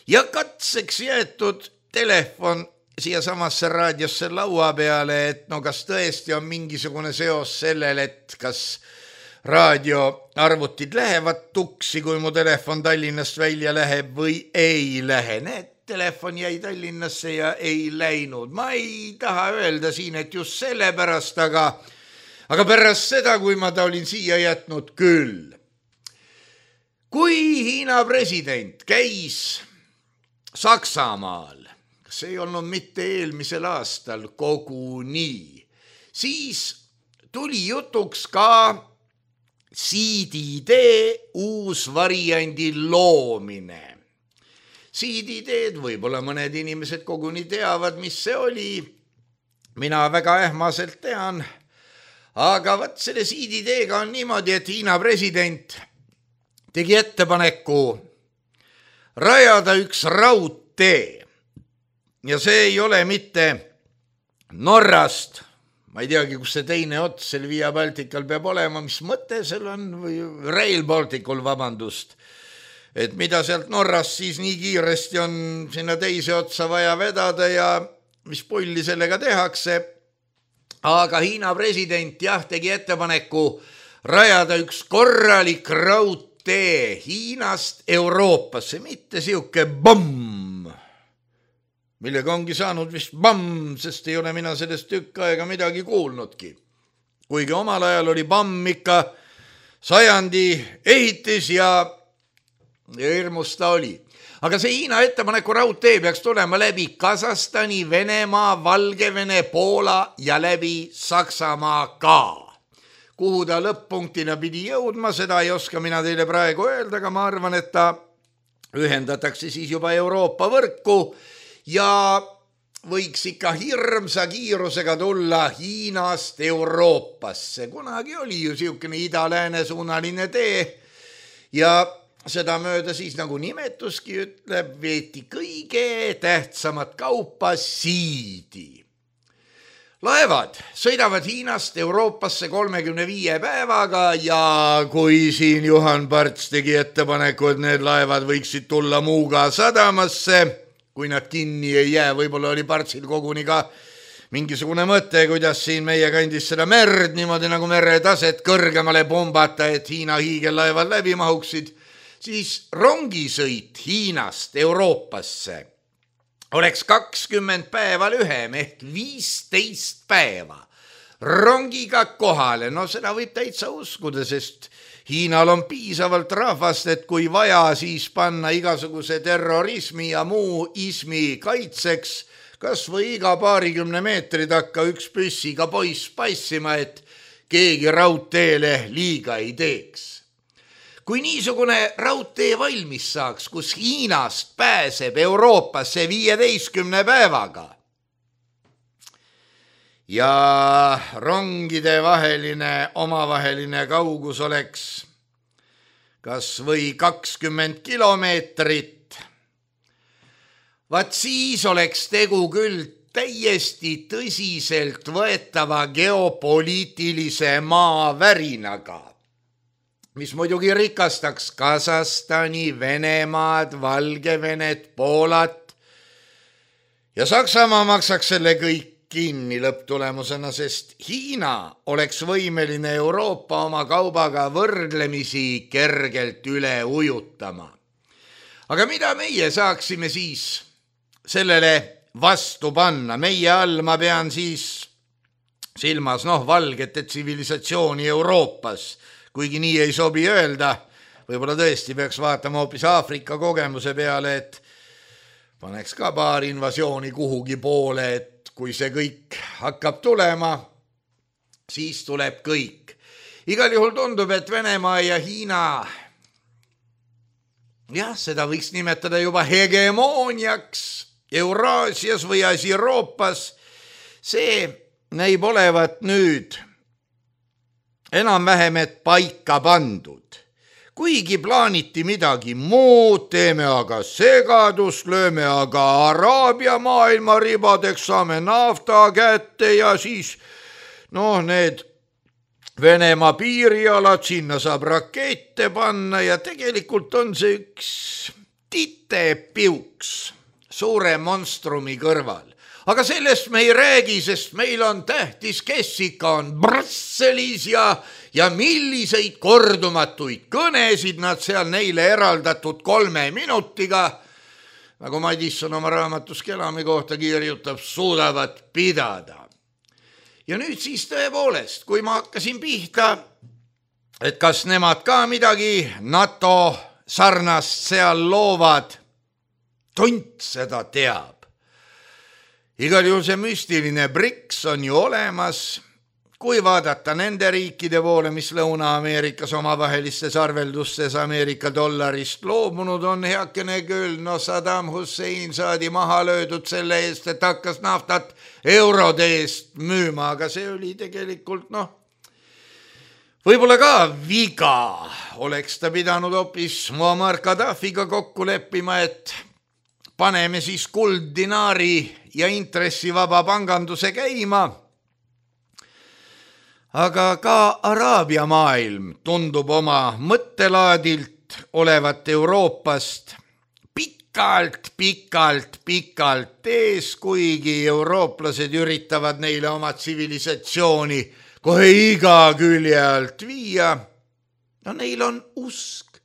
ja katseks jäetud telefon siia samasse raadiosse laua peale, et kas tõesti on mingisugune seos sellel, et kas raadioarvutid lähevad tuksi, kui mu telefon Tallinnast välja läheb või ei lähe. Telefon jäi Tallinnasse ja ei läinud. Ma ei taha öelda siin, et just sellepärast, aga pärast seda, kui ma ta olin siia jätnud küll. Kui Hiina president käis Saksamaal, kas ei olnud mitte eelmisel aastal koguni, siis tuli jutuks ka CDD uus variandi loomine. CDD-d võib-olla mõned inimesed koguni teavad, mis see oli. Mina väga ähmaselt tean. Aga võt selle CDD-ga on niimoodi, et Hiina president tegi ettepaneku rajada üks raudtee. Ja see ei ole mitte Norrast, ma ei teagi, kus see teine ots seal Via Baltical peab olema, mis mõte seal on, või Rail Balticul, vabandust, et mida sealt Norrast siis nii kiiresti on sinna teise otsa vaja vedada ja mis pulli sellega tehakse. Aga Hiina president tegi ettepaneku rajada üks korralik raudtee Hiinast Euroopasse, mitte siuke bomm, millega ongi saanud vist bamm, sest ei ole mina sellest tükk aega midagi kuulnudki. Kuigi omal ajal oli bamm ikka sajandi ehitis ja hirmus ta oli. Aga see Hiina ettepaneku raudtee peaks tulema läbi Kasahstani, Venemaa, Valgevene, Poola ja läbi Saksamaa ka. Kuhu ta lõpp-punktina pidi jõudma, seda ei oska mina teile praegu öelda, aga ma arvan, et ta ühendatakse siis juba Euroopa võrku ja võiks ikka hirmsa kiirusega tulla Hiinast Euroopasse. Kunagi oli ju siukene ida-lääne suunaline tee ja seda mööda siis, nagu nimetuski ütleb, veeti kõige tähtsamat kaupa siidi. Laevad sõidavad Hiinast Euroopasse 35 päevaga ja kui siin Juhan Parts tegi ettepaneku, et need laevad võiksid tulla Muuga sadamasse, kui nad kinni ei jää, võib-olla oli Partsil koguni ka mingisugune mõte, kuidas siin meie kandis seda merd niimoodi nagu meretaset kõrgemale pumbata, et Hiina hiigellaevad läbi mahuksid, siis rongisõit Hiinast Euroopasse oleks 20 päeva lühem ehk 15 päeva rongiga kohale. Seda võib täitsa uskuda, sest Hiinal on piisavalt rahvast, et kui vaja, siis panna igasuguse terrorismi ja muu ismi kaitseks, kas või iga paarikümne meetri takka üks püssiga poiss passima, et keegi raudteele liiga ei teeks. Kui niisugune raudtee valmis saaks, kus Hiinast pääseb Euroopasse 15 päevaga ja rongide omavaheline kaugus oleks kas või 20 kilomeetrit, vaat siis oleks tegu küll täiesti tõsiselt võetava geopoliitilise maavärinaga, mis muidugi rikastaks Kasahstani, Venemaad, Valgevenet, Poolat ja Saksamaa maksaks selle kõik kinni lõpptulemusena, sest Hiina oleks võimeline Euroopa oma kaubaga võrdlemisi kergelt üle ujutama. aga mida meie saaksime siis sellele vastu panna? Meie all ma pean siis silmas valgete tsivilisatsiooni Euroopas, kuigi nii ei sobi öelda. Võib-olla tõesti peaks vaatama hoopis Aafrika kogemuse peale, et paneks ka paar invasiooni kuhugi poole, et kui see kõik hakkab tulema, siis tuleb kõik. Igal juhul tundub, et Venemaa ja Hiina, seda võiks nimetada juba hegemooniaks Euraasias või Euroopas. See näib olevat nüüd enam-vähem et paika pandud. Kuigi plaaniti midagi muud, teeme aga segadust, lööme aga Araabia maailma ribadeks, saame nafta kätte ja siis need Venemaa piirialad, sinna saab rakette panna ja tegelikult on see üks titepiuks suure monstrumi kõrval. Aga sellest me ei räägi, sest meil on tähtis, kes ikka on Brüsselis ja milliseid kordumatuid kõnesid nad seal neile eraldatud 3 minutiga, nagu Madisson oma raamatus Kelami kohta kirjutab, suudavad pidada. Ja nüüd siis tõepoolest, kui ma hakkasin pihta, et kas nemad ka midagi NATO sarnast seal loovad, tont seda teab. Igal juhul see müstiline BRICS on ju olemas, kui vaadata nende riikide poole, mis Lõuna-Ameerikas omavahelistes arveldustes Ameerika dollarist loobunud on, heakene küll, Saddam Hussein saadi maha löödud selle eest, et hakkas naftat eurode eest müüma, aga see oli tegelikult võib-olla ka viga. Oleks ta pidanud hoopis Muammar Gaddafiga kokku leppima, et paneme siis kulddinaari ja intressivaba panganduse käima. Aga ka Araabia maailm tundub oma mõttelaadilt olevat Euroopast pikalt ees, kuigi eurooplased üritavad neile oma tsivilisatsiooni kohe iga külje alt viia. Neil on usk,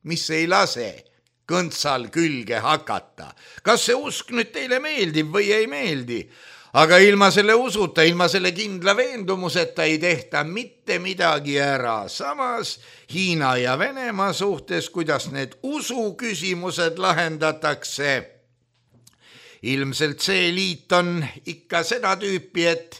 mis ei lase kõntsal külge hakata. Kas see usk nüüd teile meeldib või ei meeldi? Aga ilma selle usuta, ilma selle kindla veendumuseta ei tehta mitte midagi ära. Samas Hiina ja Venemaa suhtes, kuidas need usuküsimused lahendatakse. Ilmselt see liit on ikka seda tüüpi, et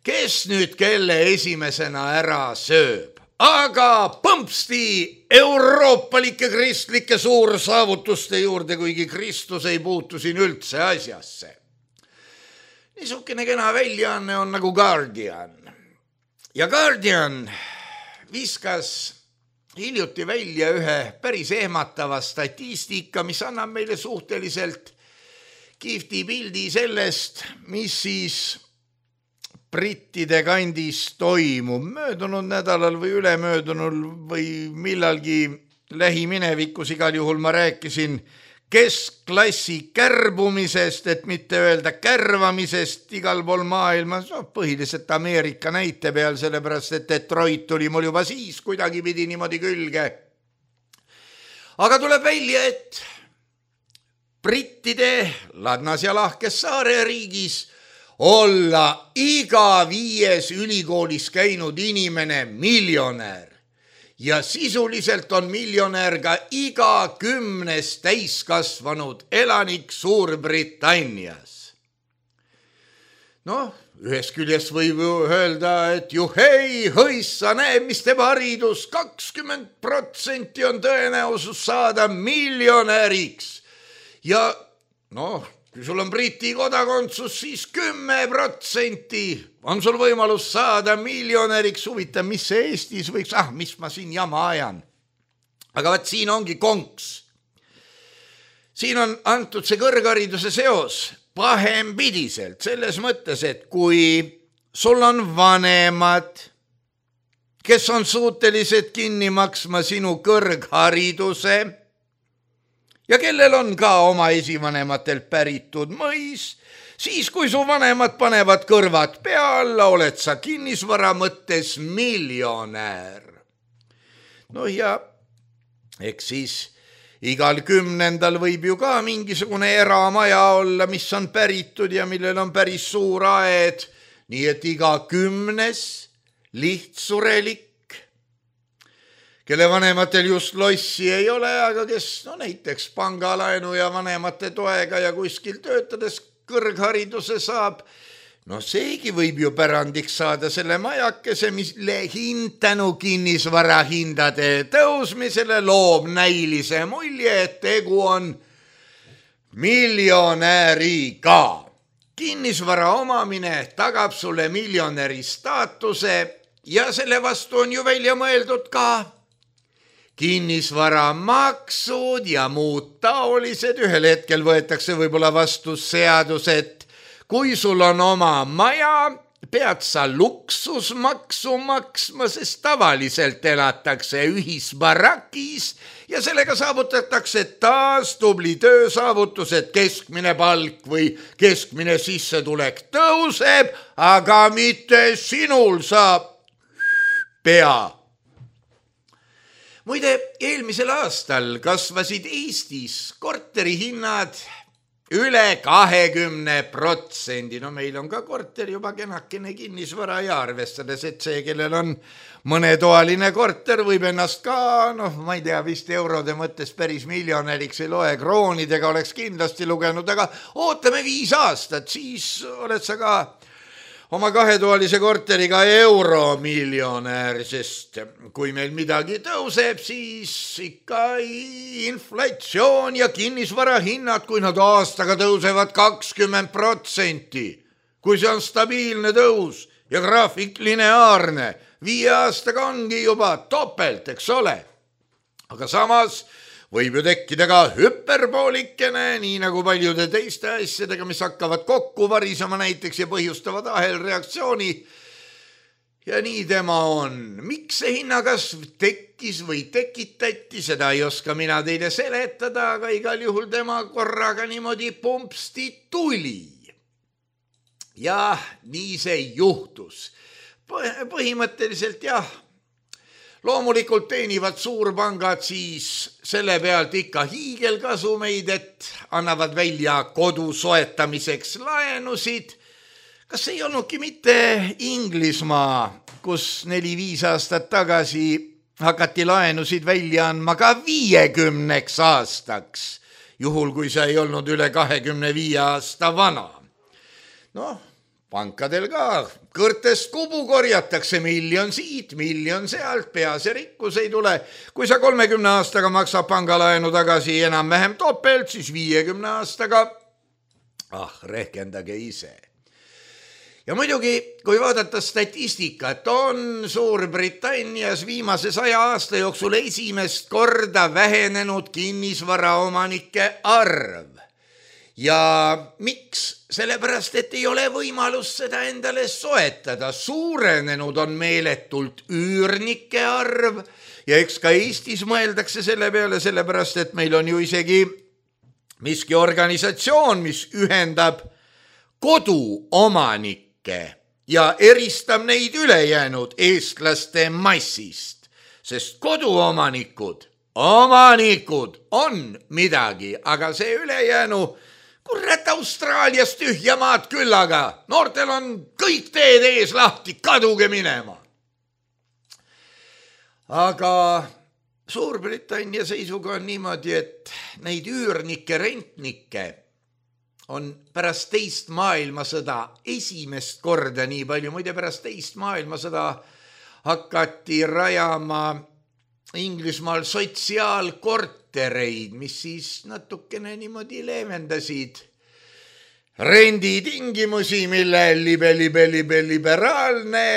kes nüüd kelle esimesena ära sööb. Aga põmpsti euroopalike kristlike suursaavutuste juurde, kuigi Kristus ei puutu siin üldse asjasse. Niisugune kena väljaanne on nagu Guardian. Ja Guardian viskas hiljuti välja ühe päris ehmatava statistika, mis annab meile suhteliselt kihvti pildi sellest, mis siis brittide kandis toimub. Möödunud nädalal või ülemöödunul või millalgi lähiminevikus igal juhul ma rääkisin keskklassi kärbumisest, et mitte öelda kärvamisest igal pool maailmas, põhiliselt Ameerika näite peal, sellepärast et Detroit tuli mul juba siis kuidagi pidi niimoodi külge. Aga tuleb välja, et brittide ladnas ja lahkes saareriigis olla iga 5 ülikoolis käinud inimene miljonär ja sisuliselt on miljonär ka iga 10. täiskasvanud elanik Suurbritannias. Ühest küljest võib öelda, et juhei, hõissa, näeb, mis teeb haridus, 20% on tõenäosus saada miljonäriks ja kui sul on Briti kodakondsus, siis 10% on sul võimalus saada miljonäriks. Huvitav, mis see Eestis võiks, mis ma siin jama ajan. Aga vaat siin ongi konks. Siin on antud see kõrghariduse seos pahempidiselt, selles mõttes, et kui sul on vanemad, kes on suutelised kinni maksma sinu kõrghariduse, ja kellel on ka oma esivanematelt päritud mõis, siis kui su vanemad panevad kõrvad pea alla, oled sa kinnisvara mõttes miljonär. Ja eks siis igal 10. võib ju ka mingisugune eramaja olla, mis on päritud ja millel on päris suur aed, nii et iga 10. lihtsurelik, kelle vanematel just lossi ei ole, aga kes näiteks pangalaenu ja vanemate toega ja kuskil töötades kõrghariduse saab, seegi võib ju pärandiks saada selle majakese, mille hind tänu kinnisvara hindade tõusmisele loob näilise mulje, et tegu on miljonäriga. Kinnisvara omamine tagab sulle miljonäri staatuse ja selle vastu on ju välja mõeldud ka kinnisvaramaksud ja muud taolised. Ühel hetkel võetakse võib-olla vastu seadused, kui sul on oma maja, pead sa luksusmaksu maksma, sest tavaliselt elatakse ühisbarakis ja sellega saavutatakse taas tubli töösaavutus, et keskmine palk või keskmine sissetulek tõuseb, aga mitte sinul saab pea. Muide, eelmisel aastal kasvasid Eestis korterihinnad üle 20%. Meil on ka korter juba kenakene kinnisvara ja arvestades, et see, kellel on mõnetoaline korter, võib ennast ka, ma ei tea, vist eurode mõttes päris miljonäriks ei loe, kroonidega oleks kindlasti lugenud, aga ootame 5 aastat, siis oled sa ka oma 2-toalise korteriga euromiljonär, sest kui meil midagi tõuseb, siis ikka inflatsioon ja kinnisvarahinnad, kui nad aastaga tõusevad 20%, kui see on stabiilne tõus ja graafik lineaarne, 5 aastaga ongi juba topelt, eks ole. Aga samas võib ju tekkida ka hüperpoolikene, nii nagu paljude teiste asjadega, mis hakkavad kokku varisema näiteks ja põhjustavad ahelreaktsiooni. Ja nii tema on. Miks see hinnakasv tekkis või tekitati, seda ei oska mina teile seletada, aga igal juhul tema korraga niimoodi pumpsti tuli. Ja nii see juhtus. Põhimõtteliselt jah, loomulikult teenivad suurpangad siis selle pealt ikka hiigelkasumeid, et annavad välja kodu soetamiseks laenusid. Kas ei olnudki mitte Inglismaa, kus 4-5 aastat tagasi hakati laenusid välja andma ka 50 aastaks, juhul kui see ei olnud üle 25 aasta vana. Pankadel ka kõrtest kubu korjatakse, miljon siit, miljon sealt, pea see rikkus ei tule. Kui sa 30 aastaga maksab pangalaenu tagasi enam-vähem topelt, siis 50 aastaga, rehkendage ise. Ja muidugi, kui vaadata statistikat, on Suurbritannias viimase 100 aasta jooksul esimest korda vähenenud kinnisvaraomanike arv. Ja miks? Sellepärast, et ei ole võimalus seda endale soetada. Suurenenud on meeletult üürnike arv ja eks ka Eestis mõeldakse selle peale, sellepärast, et meil on ju isegi miski organisatsioon, mis ühendab koduomanikke ja eristab neid ülejäänud eestlaste massist, sest koduomanikud on midagi, aga see ülejäänu kurat Austraalias tühjamaad küll, aga noortel on kõik teed ees lahti, kaduge minema. Aga Suurbritannia seisuga on niimoodi, et neid üürnikke, rentnikke on pärast teist maailmasõda esimest korda nii palju. Muide, pärast teist maailmasõda hakati rajama Inglismaal sotsiaalkortereid, mis siis natukene niimoodi leevendasid renditingimusi, mille liberaalne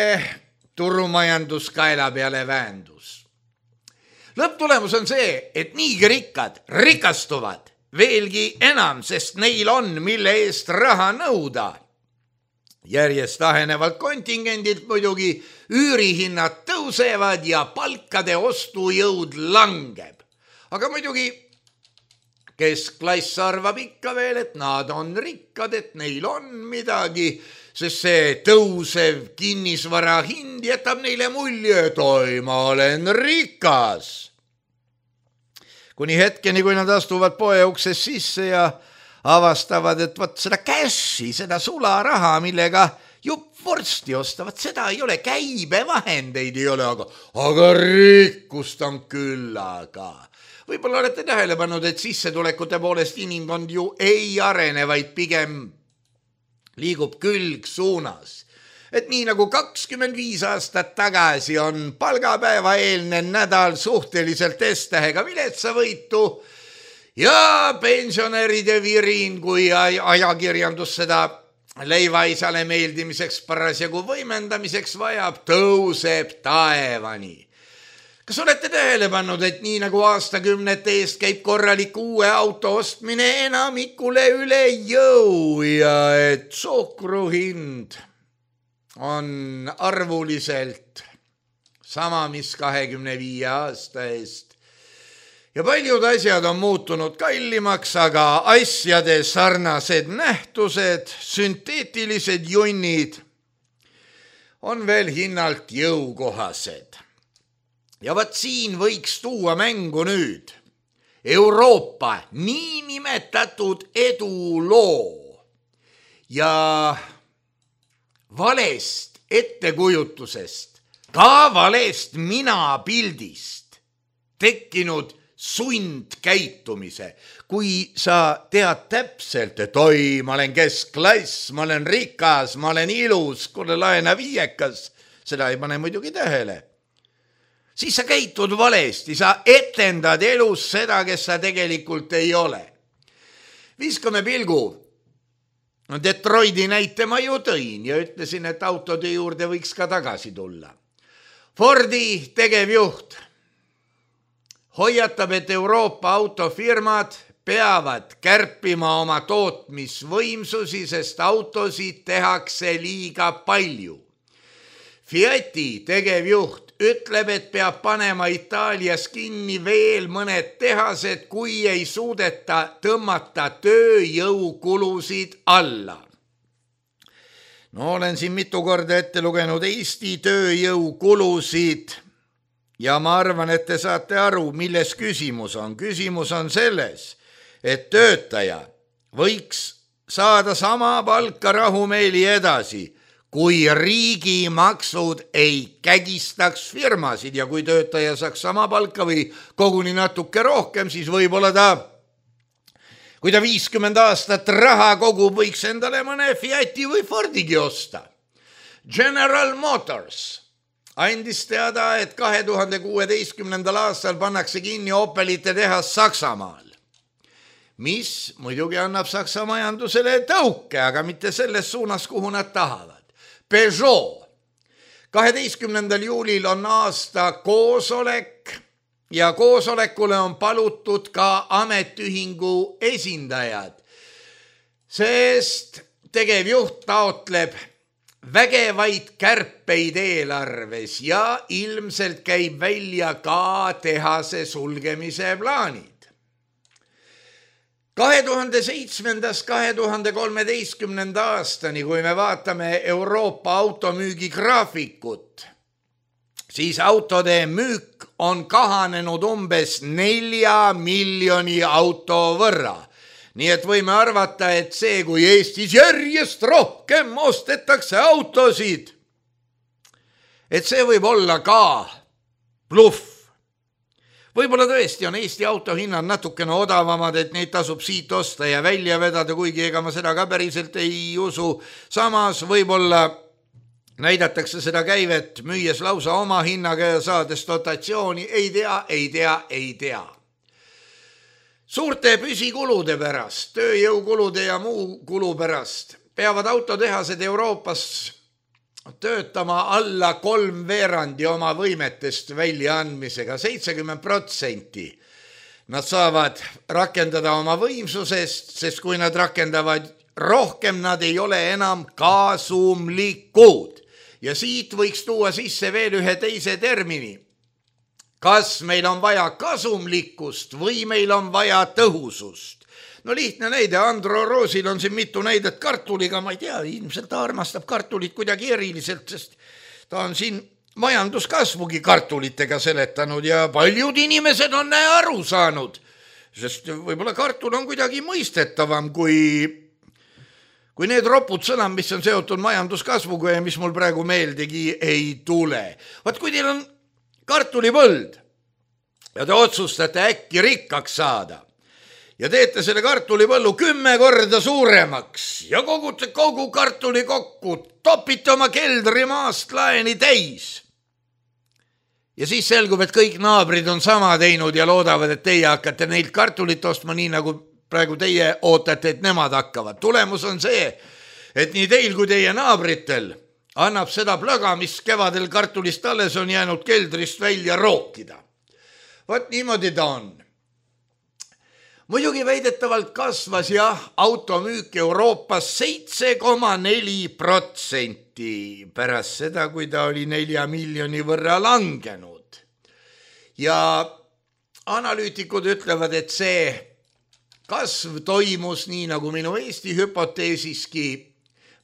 turumajandus kaela peale väändus. Lõpptulemus on see, et niigi rikkad rikastuvad veelgi enam, sest neil on, mille eest raha nõuda. Järjest ahenevalt kontingendilt muidugi üürihinnad tõusevad ja palkade ostujõud langeb. Aga muidugi keskklass arvab ikka veel, et nad on rikkad, et neil on midagi, sest see tõusev kinnisvara hind jätab neile mulje, et oi, ma olen rikas. kuni hetkeni, kui nad astuvad poe uksest sisse ja avastavad, et võt seda cash'i, seda sularaha, millega jupp vorsti ostavad, seda ei ole, käibevahendeid ei ole, aga rikkust on küllaga. Võib-olla olete tähele pannud, et sissetulekute poolest inimkond ju ei arene, vaid pigem liigub külg suunas. Et nii nagu 25 aastat tagasi on palgapäeva eelne nädal suhteliselt S-tähega viletsavõitu ja pensionäride virin, kui ajakirjandus seda leivaisale meeldimiseks parasjagu võimendamiseks vajab, tõuseb taevani. Kas olete tähele pannud, et nii nagu aastakümnete eest käib korralik uue auto ostmine enamikule üle jõu ja et suhkru hind on arvuliselt sama, mis 25 aasta eest. Ja paljud asjad on muutunud kallimaks, aga asjade sarnased nähtused, sünteetilised junnid on veel hinnalt jõukohased. Ja vaat siin võiks tuua mängu nüüd Euroopa niinimetatud eduloo ja valest ettekujutusest, ka valest minapildist tekkinud sundkäitumise. Kui sa tead täpselt, et oi, ma olen keskklass, ma olen rikas, ma olen ilus, kuule laena viiekas, seda ei pane muidugi tähele. Siis sa käitud valesti, sa etendad elus seda, kes sa tegelikult ei ole. Viskame pilgu. Detroiti näite ma ju tõin ja ütlesin, et autode juurde võiks ka tagasi tulla. Fordi tegevjuht hoiatab, et Euroopa autofirmad peavad kärpima oma tootmisvõimsusi, sest autosid tehakse liiga palju. Fiati tegevjuht ütleb, et peab panema Itaalias kinni veel mõned tehased, kui ei suudeta tõmmata tööjõukulusid alla. No olen siin mitu korda ette lugenud Eesti tööjõukulusid ja ma arvan, et te saate aru, milles küsimus on. Küsimus on selles, et töötaja võiks saada sama palka rahumeeli edasi, kui riigimaksud ei kägistaks firmasid ja kui töötaja saaks sama palka või koguni natuke rohkem, siis võib-olla kui ta 50 aastat raha kogub, võiks endale mõne Fiati või Fordigi osta. General Motors andis teada, et 2016. aastal pannakse kinni Opelite tehas Saksamaal, mis muidugi annab Saksa majandusele tõuke, aga mitte selles suunas, kuhu nad tahavad. Peugeot. 12. juulil on aasta koosolek ja koosolekule on palutud ka ametiühingu esindajad, sest tegevjuht taotleb vägevaid kärpeid eelarves ja ilmselt käib välja ka tehase sulgemise plaanid. 2007-2013 aastani, kui me vaatame Euroopa automüügi graafikut, siis autode müük on kahanenud umbes 4 miljoni auto võrra. Nii et võime arvata, et see, kui Eestis järjest rohkem ostetakse autosid, et see võib olla ka bluff. Võib-olla tõesti on Eesti autohinnad natukene odavamad, et neid tasub siit osta ja välja vedada, kuigi ega ma seda ka päriselt ei usu. Samas võib-olla näidatakse seda käivet, müües lausa oma hinnaga ja saades dotatsiooni, ei tea. Suurte püsikulude pärast, tööjõukulude ja muu kulu pärast peavad autotehased Euroopas töötama alla 3/4 oma võimetest väljaandmisega, 70%. Nad saavad rakendada oma võimsusest, sest kui nad rakendavad rohkem, nad ei ole enam kasumlikud. Ja siit võiks tuua sisse veel ühe teise termini. Kas meil on vaja kasumlikkust või meil on vaja tõhusust? No lihtne näide, Andro Roosil on siin mitu näidet kartuliga, ma ei tea, ilmselt ta armastab kartulit kuidagi eriliselt, sest ta on siin majanduskasvugi kartulitega seletanud ja paljud inimesed on aru saanud, sest võib-olla kartul on kuidagi mõistetavam kui need ropud sõnad, mis on seotud majanduskasvuga ja mis mul praegu meeldegi ei tule. Vaat kui teil on kartulipõld ja te otsustate äkki rikkaks saada ja teete selle kartulipõllu 10 korda suuremaks ja kogute kogu kartuli kokku, topite oma keldri maast laeni täis. Ja siis selgub, et kõik naabrid on sama teinud ja loodavad, et teie hakkate neilt kartulit ostma nii, nagu praegu teie ootate, et nemad hakkavad. Tulemus on see, et nii teil kui teie naabritel annab seda plöga, mis kevadel kartulist alles on jäänud keldrist välja rookida. Vaat niimoodi ta on. Muidugi väidetavalt kasvas automüük Euroopas 7,4% pärast seda, kui ta oli 4 miljoni võrra langenud. Ja analüütikud ütlevad, et see kasv toimus nii nagu minu Eesti hüpoteesiski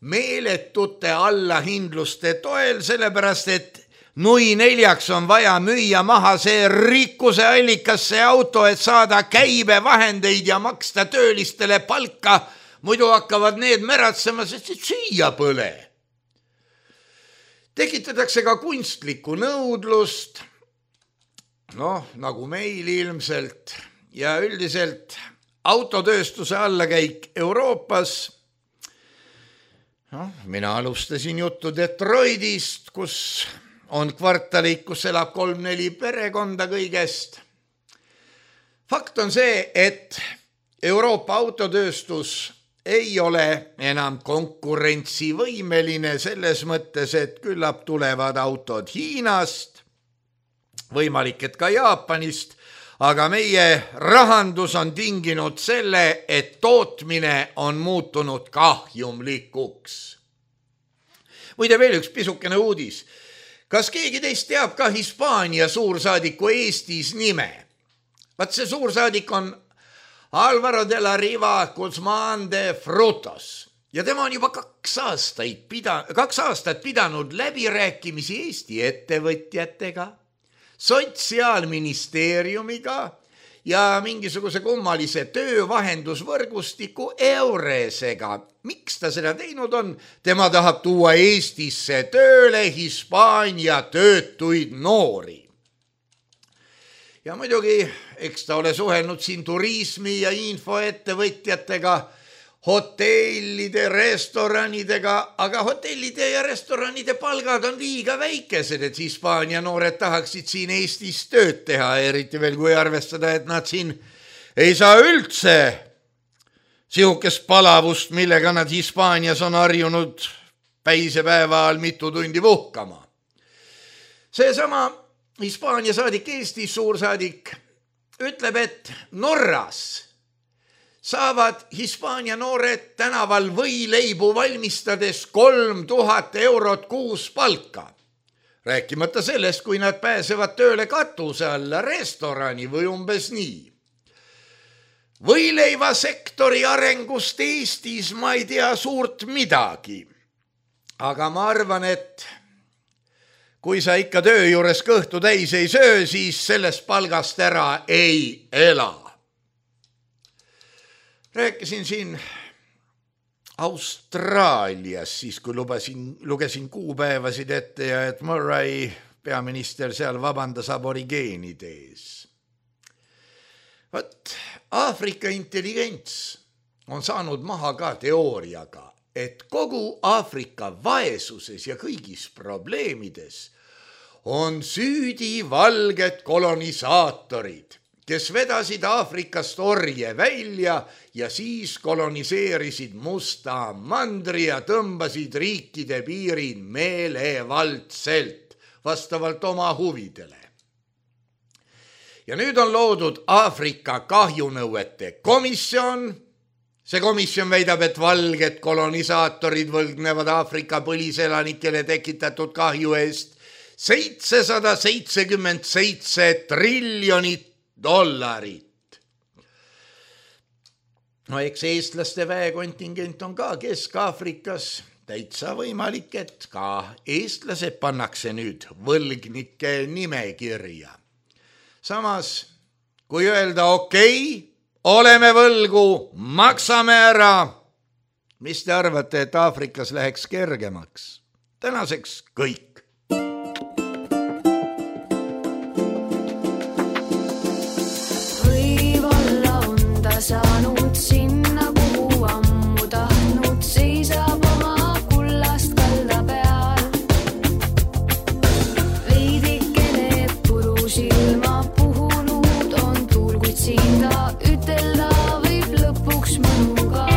meeletute allahindluste toel, sellepärast et nui 4 on vaja müüa maha see rikkuse allikas, see auto, et saada käibevahendeid ja maksta töölistele palka, muidu hakkavad need märatsema, sest süüa pole. Tekitatakse ka kunstlikku nõudlust, nagu meil ilmselt, ja üldiselt autotööstuse allakäik Euroopas. Mina alustasin juttu Detroitist, kus on kvartaleid, kus elab 3-4 perekonda kõigest. Fakt on see, et Euroopa autotööstus ei ole enam konkurentsivõimeline selles mõttes, et küllap tulevad autod Hiinast, võimalik, et ka Jaapanist, aga meie rahandus on tinginud selle, et tootmine on muutunud kahjumlikuks. Muide veel üks pisukene uudis. Kas keegi teist teab ka Hispaania suursaadiku Eestis nime? Vaat see suursaadik on Álvaro de la Riva Guzmán de Frutos ja tema on juba 2 aastat pidanud läbirääkimisi Eesti ettevõtjatega, Sotsiaalministeeriumiga ja mingisuguse kummalise töövahendusvõrgustiku Euresega. Miks ta seda teinud on? Tema tahab tuua Eestisse tööle Hispaania töötuid noori. Ja muidugi, eks ta ole suhelnud siin turismi ja infoettevõtjatega, hotellide, restoranidega, aga hotellide ja restoranide palgad on liiga väikesed, et Hispaania noored tahaksid siin Eestis tööd teha, eriti veel kui arvestada, et nad siin ei saa üldse sihukest palavust, millega nad Hispaanias on harjunud päisepäeva all mitu tundi puhkama. Seesama Hispaania saadik, Eesti suursaadik ütleb, et Norras saavad Hispaania noored tänaval võileibu valmistades 3000 eurot kuus palka. Rääkimata sellest, kui nad pääsevad tööle katuse alla restorani või umbes nii. Võileivasektori arengust Eestis ma ei tea suurt midagi. Aga ma arvan, et kui sa ikka töö juures kõhtu täis ei söö, siis sellest palgast ära ei ela. Rääkisin siin Austraalias, siis kui lugesin kuupäevasid ette ja et Murray, peaminister, seal vabandas aborigeenide ees. Vaat, Aafrika intelligents on saanud maha ka teooriaga, et kogu Aafrika vaesuses ja kõigis probleemides on süüdi valged kolonisaatorid, kes vedasid Aafrikast orje välja ja siis koloniseerisid Musta mandri ja tõmbasid riikide piirid meelevaldselt vastavalt oma huvidele. Ja nüüd on loodud Aafrika kahjunõuete komisjon. See komisjon väidab, et valged kolonisaatorid võlgnevad Aafrika põliselanikele tekitatud kahju eest $777 triljonit. No eks eestlaste väekontingent on ka Kesk-Aafrikas. Täitsa võimalik, et ka eestlased pannakse nüüd võlgnike nimekirja. Samas, kui öelda okei, oleme võlgu, maksame ära. Mis te arvate, et Aafrikas läheks kergemaks? Tänaseks kõik. Võib-olla on ta saanud sinna, kuhu ammu tahtnud, seisab oma kullast kalda peal. Veidikene puru silma puhunud on tuul, kuid siin ta ütelda võib lõpuks mõnu ka.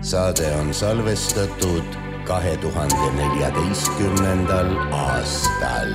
Saade on salvestatud 2014. aastal.